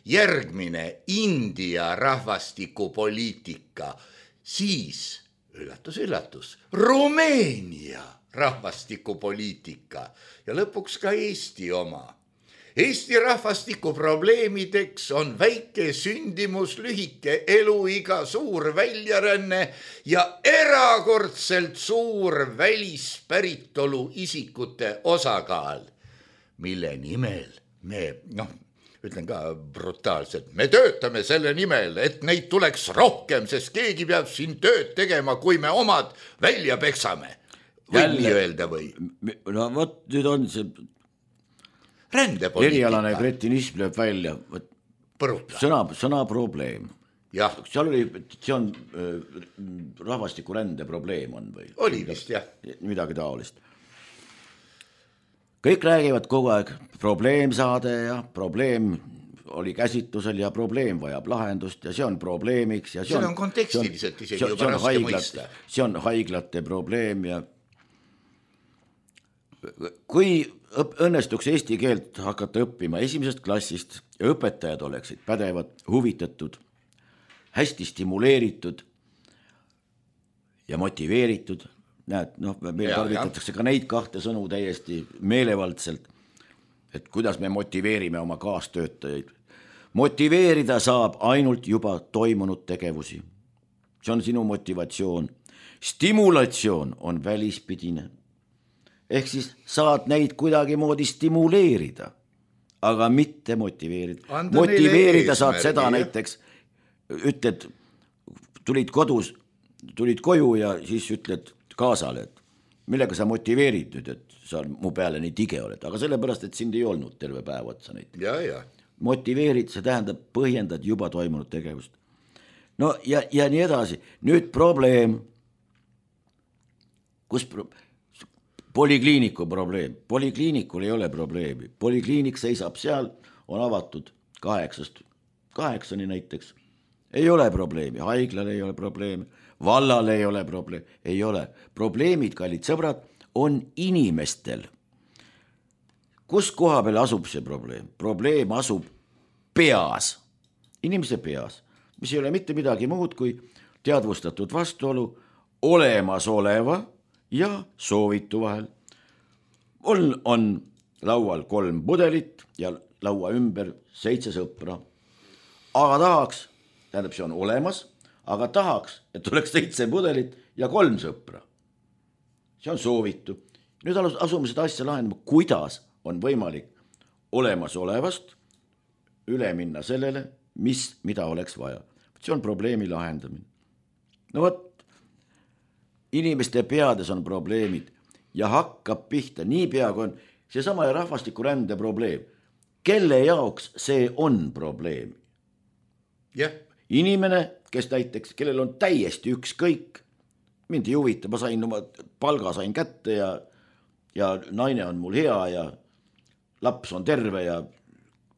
järgmine India rahvastikupoliitika, siis, üllatus, üllatus, Rumeenia rahvastikupoliitika ja lõpuks ka Eesti oma. Eesti rahvastiku probleemideks on väike sündimus, lühike eluiga, suur väljaränne ja erakordselt suur välispäritolu isikute osakaal, mille nimel me, noh, ütlen ka brutaalselt, me töötame selle nimel, et neid tuleks rohkem, sest keegi peab siin tööd tegema, kui me omad välja peksame. Võib nii öelda või? No vot, nüüd on see rändepoliitika. Erialane kretinism lööb välja. Põruta. Sõna, sõna probleem. Jah. Seal oli, see on äh, rahvastiku rände probleem on või? Oli vist, jah. Midagi taolist. Kõik räägivad kogu aeg probleemsaade ja probleem oli käsitlusel ja probleem vajab lahendust ja see on probleemiks. Ja see, see on, on kontekstiliselt isegi see on, juba raske haiglate, mõista. See on haiglate probleem ja kui õnnestuks eesti keelt hakata õppima esimesest klassist ja õpetajad oleksid pädevad, huvitatud, hästi stimuleeritud ja motiveeritud, näed, noh, meil ja, tarvitatakse ja. Ka neid kahte sõnu täiesti meelevaldselt, et kuidas me motiveerime oma kaastöötajaid. Motiveerida saab ainult juba toimunud tegevusi. See on sinu motivatsioon. Stimulatsioon on välispidine. Ehk siis saad neid kuidagi moodi stimuleerida, aga mitte motiveerida. Anda motiveerida saad seda ja. Näiteks, ütled, tulid kodus, tulid koju ja siis ütled kaasale, et millega sa motiveerid nüüd, et sa mu peale nii tige oled, aga sellepärast, et sind ei olnud terve päev otsa neid. Ja, ja. Motiveerid, see tähendab põhjendad juba toimunud tegevust. No ja, ja nii edasi. Nüüd probleem, kus pro... Polikliiniku probleem. Polikliinikul ei ole probleemi. Polikliinik seisab seal, on avatud kaheksast, kaheksani näiteks. Ei ole probleemi, haiglal ei ole probleemi, vallal ei ole probleemi, ei ole. Probleemid, kallid sõbrad, on inimestel. Kus koha peal asub see probleem? Probleem asub peas, inimese peas, mis ei ole mitte midagi muud kui teadvustatud vastuolu olemasoleva ja soovitu vahel. On, on laual kolm pudelit ja laua ümber seitse sõpra. Aga tahaks, tähendab see on olemas, aga tahaks, et oleks seitse pudelit ja kolm sõpra. See on soovitu. Nüüd asume seda asja lahendama, kuidas on võimalik olemasolevast üle minna sellele, mis, mida oleks vaja. See on probleemi lahendamine. No võt, inimeste peades on probleemid ja hakkab pihta nii pea, kui on seesama rahvastiku rände probleem. Kelle jaoks see on probleem? Yeah. Inimene, kes näiteks, kellel on täiesti ükskõik, mind ei huvita, ma sain oma palga sain kätte ja, ja naine on mul hea ja laps on terve ja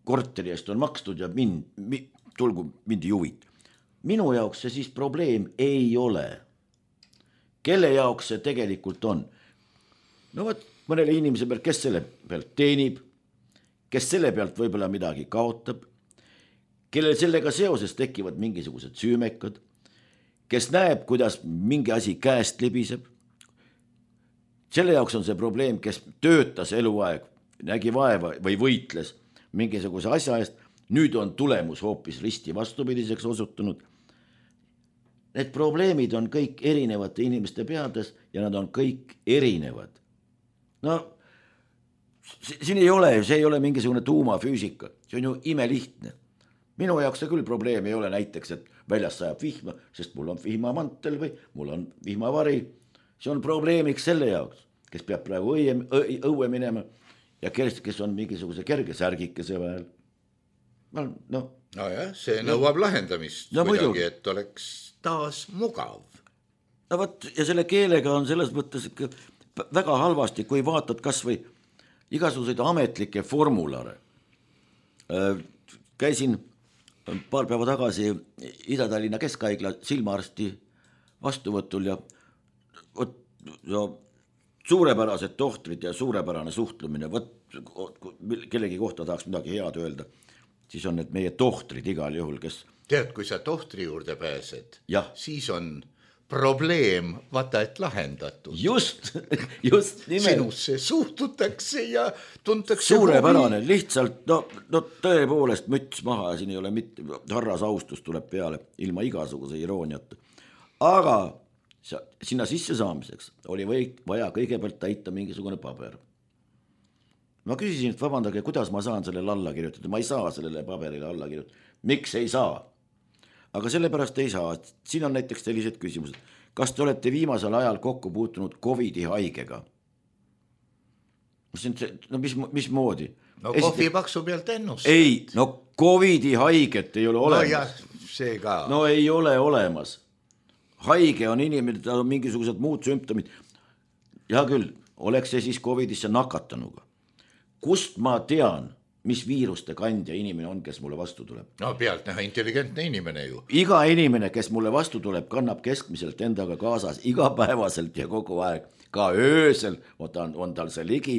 korteri eest on makstud ja mind, mi, tulgu mind ei huvita. Minu jaoks see siis probleem ei ole. Kelle jaoks see tegelikult on? No võt, mõnele inimese pealt, kes selle pealt teenib, kes selle pealt võib-olla midagi kaotab, kellel sellega seoses tekivad mingisugused süümekad, kes näeb, kuidas mingi asi käest libiseb. Selle jaoks on see probleem, kes töötas eluaeg, nägi vaeva või võitles mingisuguse asja eest, nüüd on tulemus hoopis risti vastupidiseks osutunud. Need probleemid on kõik erinevate inimeste peades ja nad on kõik erinevad. No, siin ei ole, see ei ole mingisugune tuumafüüsika, see on ju imelihtne. Minu jaoks see küll probleem ei ole näiteks, et väljas sajab vihma, sest mul on vihmamantel või mul on vihmavari. See on probleemiks selle jaoks, kes peab praegu õue, õue minema ja kes, kes on mingisuguse kerge särgikese vahel. no, no jah, see nõuab no. lahendamist no, kuidagi, et oleks taas mugav. No võt, ja selle keelega on selles mõttes ikka väga halvasti, kui vaatad kas või igasuguseid ametlikke formulare. Käisin paar päeva tagasi Ida-Tallinna Keskhaigla silmaarsti vastuvõtul ja, võt, ja suurepärased tohtrid ja suurepärane suhtlemine, võt, kellegi kohta tahaks midagi head öelda, siis on need meie tohtrid igal juhul, kes... Tead, kui sa tohtri juurde pääsed, ja. Siis on probleem, vaata, et lahendatud. Just, just nimelt. Sinusse suhtutakse ja tuntakse... Suurepärane, huvi. Lihtsalt, no, no tõepoolest müts maha ja siin ei ole mitte, harras austus tuleb peale ilma igasuguse irooniata. Aga sinna sisse saamiseks oli või, vaja kõigepealt täita mingisugune paber. Ma küsisin, et vabandage, kuidas ma saan sellele alla kirjutada. Ma ei saa sellele paberile alla kirjutada. Miks ei saa? Aga sellepärast ei saa. Siin on näiteks sellised küsimused. Kas te olete viimasel ajal kokku puutunud Covidi haigega? No mis, mis moodi? No kohvi paksu pealt ennust. Ei, no Covidi haiget ei ole olemas. No jah, see ka. No ei ole olemas. Haige on inimene, tal on mingisugused muud sümptomid. Ja küll, oleks see siis Covidisse nakatanuga. Kust ma tean, mis viiruste kandja inimene on, kes mulle vastu tuleb? No pealt näha intelligentne inimene ju. Iga inimene, kes mulle vastu tuleb, kannab keskmiselt endaga kaasas igapäevaselt ja kogu aeg. Ka öösel on, ta, on tal see ligi.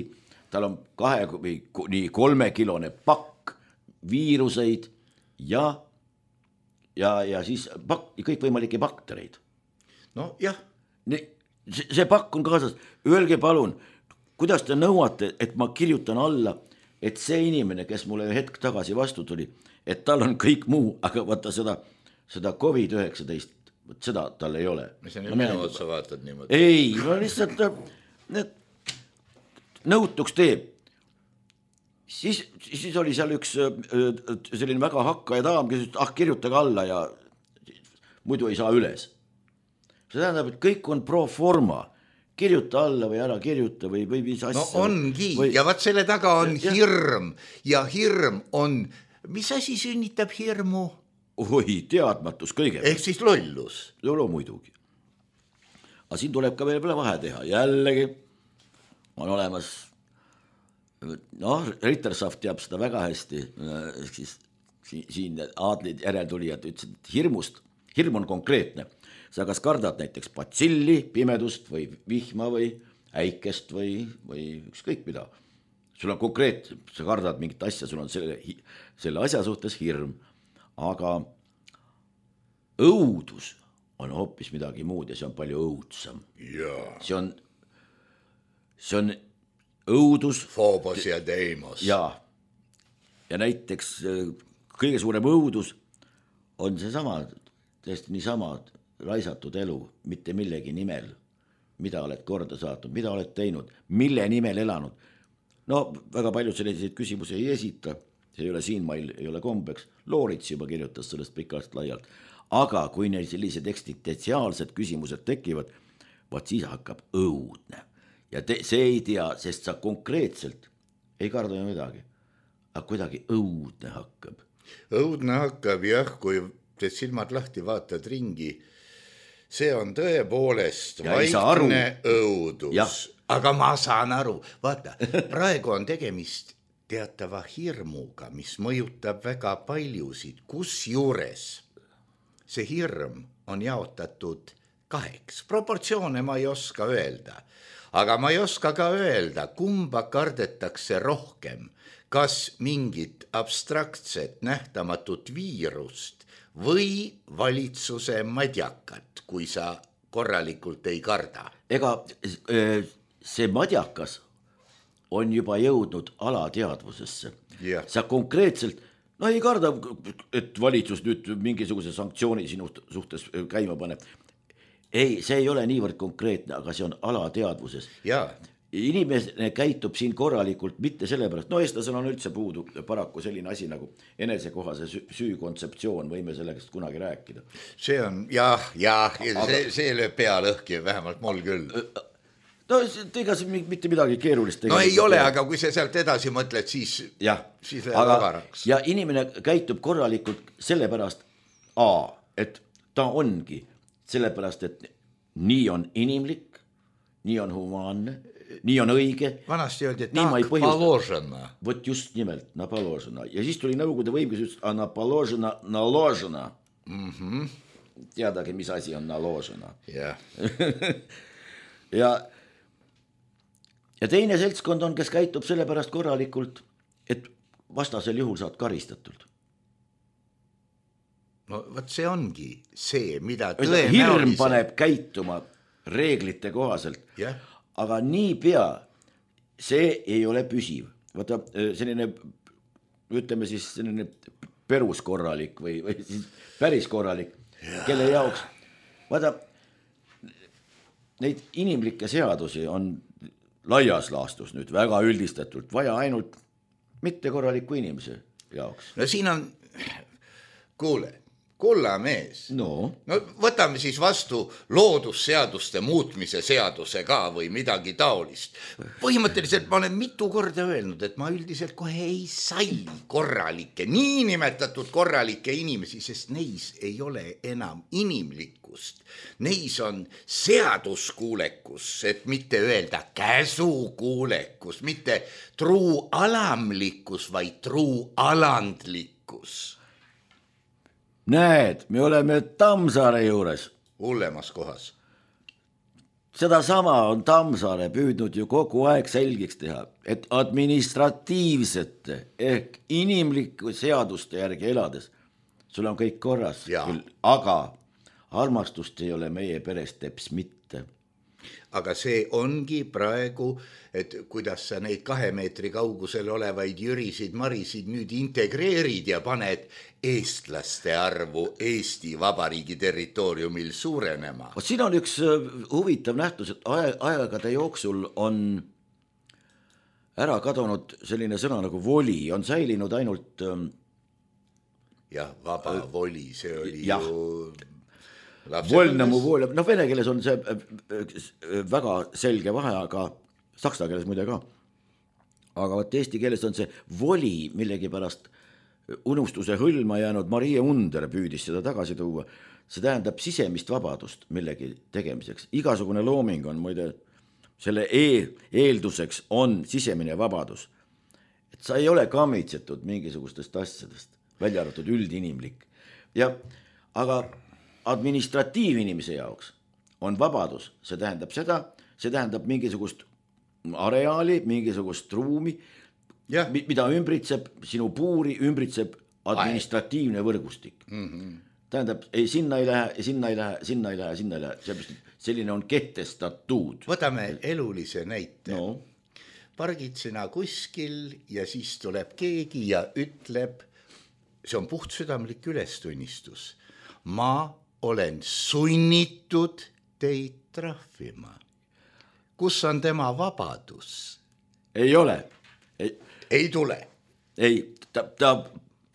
Tal on kahe või nii kolmekilone pakk viiruseid ja, ja, ja siis pakk, kõikvõimalikke baktereid. No jah. See pakk on kaasas. Öelge palun, kuidas te nõuate, et ma kirjutan alla, et see inimene, kes mulle hetk tagasi vastu tuli, et tal on kõik muu, aga vaata seda, seda covid üheksateist, seda tal ei ole. Mis on no, minu otsa vaatad niimoodi? Ei, no lihtsalt need, nõutuks teeb. Siis, siis oli seal üks selline väga hakkaja daam, kes ütles, ah, kirjutage alla ja muidu ei saa üles. See tähendab, et kõik on pro forma. Kirjuta alla või ära kirjuta või, või mis asja. No ongi või... ja vaat selle taga on ja, hirm ja hirm on, mis asi sünnitab hirmu? Oi, teadmatus kõige. Ehk siis lollus. Lolo muidugi. Aga siin tuleb ka veel vahe teha. Jällegi on olemas, noh, Rittersaft teab seda väga hästi, siis siin aadlid järeltulijad ütlesid, et hirmust, hirm on konkreetne. Sa kas kardad näiteks patsilli, pimedust või vihma või äikest või, või ükskõik mida. Sul on konkreet, sa kardad mingit asja, sul on selle, selle asja suhtes hirm. Aga õudus on hoopis midagi muud ja see on palju õudsam. Yeah. See on, see on õudus. Phobos ja Deimos. Ja, ja näiteks kõige suurem õudus on see sama, tõesti nii sama raisatud elu, mitte millegi nimel, mida oled korda saatnud, mida oled teinud, mille nimel elanud. No väga palju selliseid küsimusi ei esita, see ei ole siin meil, ei ole kombeks, Loorits juba kirjutas sellest pikalt laialt, aga kui neil sellised eksistentsiaalsed küsimused tekivad, vaat siis hakkab õudne. Ja te, see ei tea, sest sa konkreetselt ei karda midagi, aga kuidagi õudne hakkab. Õudne hakkab jah, kui te silmad lahti vaatad ringi, see on tõepoolest ja vaikne õudus, ja. Aga ma saan aru, vaata, praegu on tegemist teatava hirmuga, mis mõjutab väga paljusid, kus juures see hirm on jaotatud kaheks. Proportsioone ma ei oska öelda, aga ma ei oska ka öelda, kumba kardetakse rohkem, kas mingit abstraktset nähtamatut viirust või valitsuse madjakat, kui sa korralikult ei karda. Ega see madjakas on juba jõudnud alateadvusesse. Yeah. Sa konkreetselt, no ei karda, et valitsus nüüd mingisuguse sanktsiooni sinu suhtes käima paneb. Ei, see ei ole niivõrd konkreetne, aga see on alateadvuses. Jaa. Inimene käitub siin korralikult mitte sellepärast, no eestlasel on üldse puudu paraku selline asi nagu enesekohase süü kontseptsioon, võime sellest kunagi rääkida. See on, jah, jah, see, see lööb pea lõhki, vähemalt mul küll. no ega see mitte midagi keerulist. No ei ole, aga kui sa sealt edasi mõtled, siis, ja, siis läheb agaraks. Ja inimene käitub korralikult sellepärast, A, et ta ongi sellepärast, et nii on inimlik, nii on humaanne, nii on õige. Vanasti öeldi, et tak paložena. Võt just nimelt, na paložena. Ja siis tuli nõukogude võim, kes ütles, a na paložena, na ložena. Mm-hmm. Teadagi, mis asi on na ložena. Yeah. ja Ja teine seltskond on, kes käitub sellepärast korralikult, et vastasel juhul saad karistatult. No võt see ongi see, mida tõenäoliselt... Hirm paneb käituma reeglite kohaselt, yeah. Aga nii pea see ei ole püsiv. Vaata, selline, ütleme siis selline perus korralik või, või siis päris korralik, yeah. Kelle jaoks, vaata, neid inimlikke seadusi on laias laastus nüüd väga üldistatult, vaja ainult mitte korraliku inimese jaoks. No siin on, kuule, kulla mees. No. No võtame siis vastu loodusseaduste muutmise seaduse ka või midagi taolist. Põhimõtteliselt ma olen mitu korda öelnud, et ma üldiselt kohe ei salli korralikke, niinimetatud korralikke inimesi, sest neis ei ole enam inimlikkust. Neis on seaduskuulekus, et mitte öelda käsukuulekus, mitte truu alamlikkus, vaid truu alandlikkus. Näed, me oleme Tammsaare juures. Hullemas kohas. Seda sama on Tammsaare püüdnud ju kogu aeg selgiks teha, et administratiivsete ehk inimliku seaduste järgi elades sul on kõik korras, küll, aga armastust ei ole meie peres teps mitte. Aga see ongi praegu, et kuidas sa neid kahe meetri kaugusel olevaid jürisid, marisid nüüd integreerid ja paned eestlaste arvu Eesti Vabariigi territooriumil suurenema. Siin on üks huvitav nähtus, et aegade jooksul on ära kadunud selline sõna nagu voli, on säilinud ainult... jah, vaba äh, voli, see oli jah. ju... Volnamu vool, noh vene keeles on see väga selge vahe, aga saksa keeles muide ka. Aga võt eesti keeles on see voli millegi pärast unustuse hõlma jäänud, Marie Under püüdis seda tagasi tuua. See tähendab sisemist vabadust millegi tegemiseks. Igasugune looming on muide, selle e eelduseks on sisemine vabadus. Et sa ei ole kammitsetud mingisugustest asjadest, välja arvatud üldinimlik. Ja, aga administratiivinimese jaoks on vabadus, see tähendab seda, see tähendab mingisugust areaali, mingisugust ruumi, ja. Mida ümbritseb, sinu puuri ümbritseb administratiivne võrgustik. Mm-hmm. Tähendab, ei, sinna ei lähe, sinna ei lähe, sinna ei lähe, sinna ei lähe, selline on kehtestatud. Võtame elulise näite. No. Pargid sina kuskil ja siis tuleb keegi ja ütleb, see on puhtsüdamlik ülestunnistus. Ma olen sunnitud teid trahvima. Kus on tema vabadus? Ei ole. Ei, ei tule. Ei, ta, ta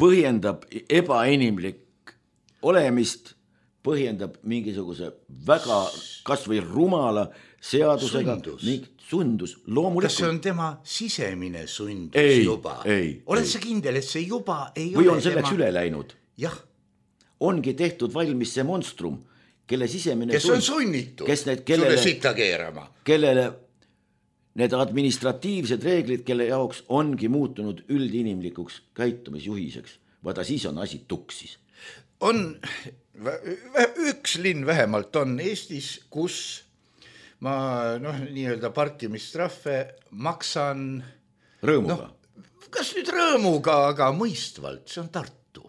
põhjendab ebainimlik olemist, põhjendab mingisuguse väga kas või rumala seadusega. Sundus. Mingi, sundus, loomulikult. Kas see on tema sisemine sundus ei, juba? Ei, Oled ei. Sa kindel, et see juba ei või ole on selleks tema... üle läinud? Jah. Ongi tehtud valmis see monstrum, kelle sisemine kes on sunnitud kes need, kellele, sulle sita keerama. Kellele need administratiivsed reeglid, kelle jaoks ongi muutunud üldinimlikuks käitumisjuhiseks. Vaata, siis on asi tuksis. On, üks linn vähemalt on Eestis, kus ma noh, nii-öelda parkimistrahve maksan rõõmuga. No, kas nüüd rõõmuga, aga mõistvalt, see on Tartu.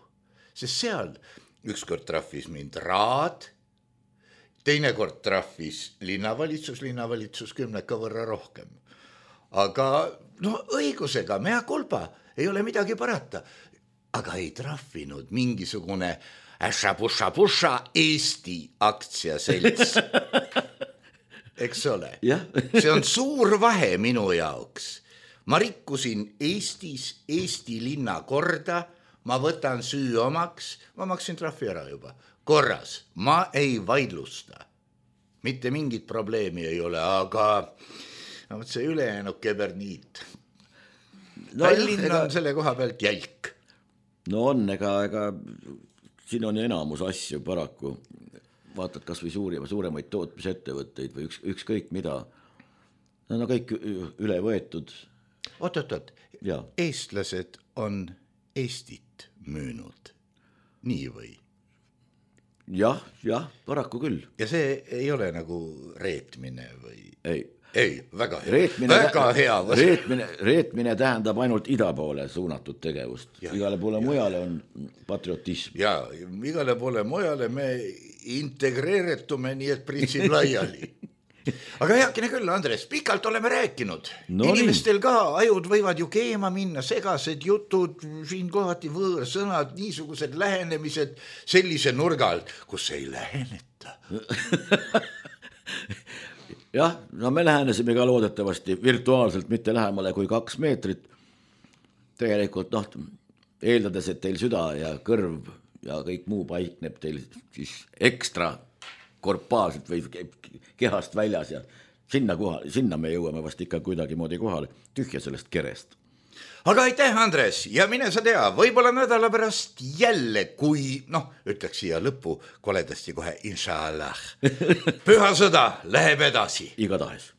Sest seal ükskord trahvis mind Raad, teine kord trahvis linnavalitsus, linnavalitsus kümneka võrra rohkem. Aga no õigusega, mea kulpa, ei ole midagi parata. Aga ei trahvinud mingisugune äša-puša-puša Eesti aktsiaselts. Eks ole? See on suur vahe minu jaoks. Ma rikkusin Eestis Eesti linna korda, ma võtan süü omaks, ma maksin trahvi ära juba. Korras, ma ei vaidlusta. mitte mingit probleemi ei ole, aga no, see ülejäänud keberniit no, Tallinn ega... on selle koha pealt jälk. No on, ega, ega siin on enamus asju paraku, vaatad kas või suuri, suuremaid tootmisettevõtteid või üks, ükskõik mida, nad on kõik üle võetud. Oot, oot, oot, eestlased on Eestit müünud, nii või? Jah, jah, paraku küll. Ja see ei ole nagu reetmine või? Ei. Ei, väga hea. Reetmine, väga hea. Reetmine, reetmine tähendab ainult ida poole suunatud tegevust. Ja, igale poole ja, mujale on patriotism. Ja, igale poole mujale me integreeretume nii, et pritsib laiali. Aga heakene küll, Andres, pikalt oleme rääkinud. No inimestel nii. Ka ajud võivad ju keema minna, segased jutud, siin kohati võõrsõnad, niisugused lähenemised sellise nurga alt, kus ei läheneta. Jah, no me lähenesime ka loodetavasti virtuaalselt mitte lähemale kui kaks meetrit. Tegelikult noh, eeldades, et teil süda ja kõrv ja kõik muu paikneb teil siis ekstra korpaalselt või kehast väljas ja sinna, kohale, sinna me jõuame vast ikka kuidagi moodi kohale, tühja sellest kerest. Aga aitäh, Andres, ja mine sa tea, võib-olla nädala pärast jälle, kui, noh, ütleks siia lõppu koledasti kohe, inshallah, püha sõda läheb edasi. Igatahes.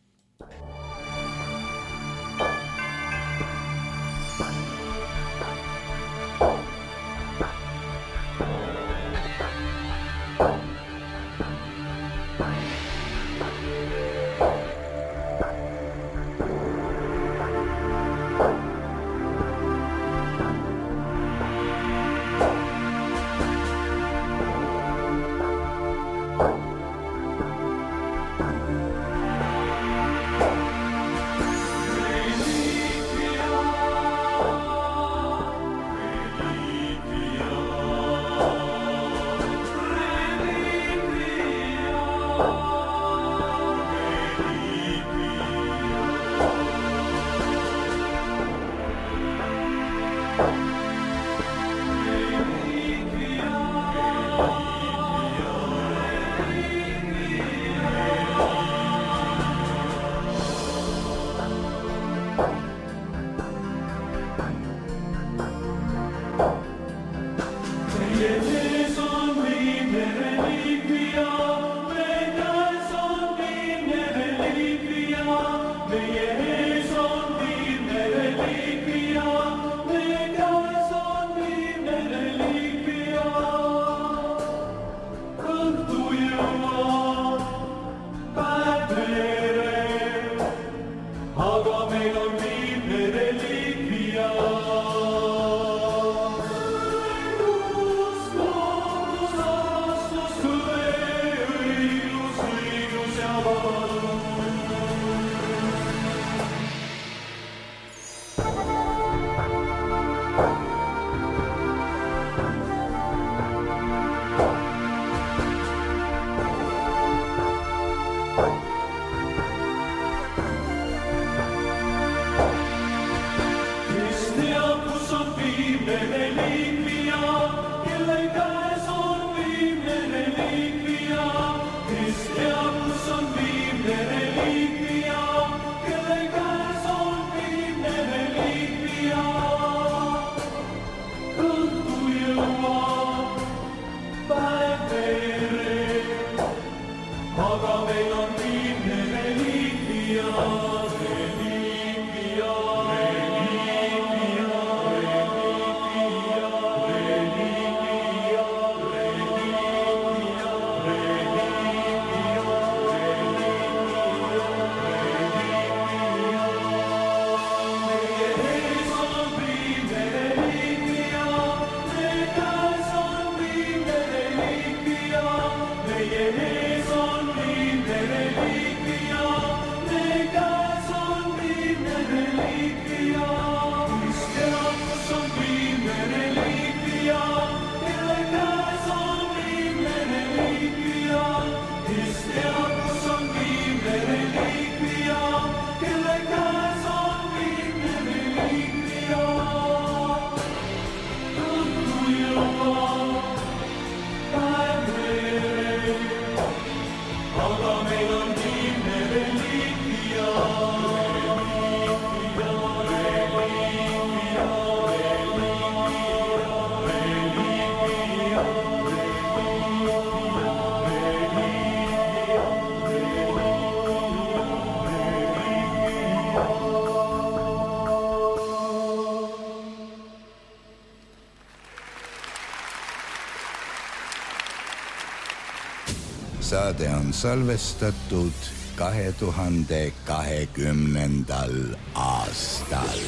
saade on salvestatud kahe tuhande kahekümnendal aastal.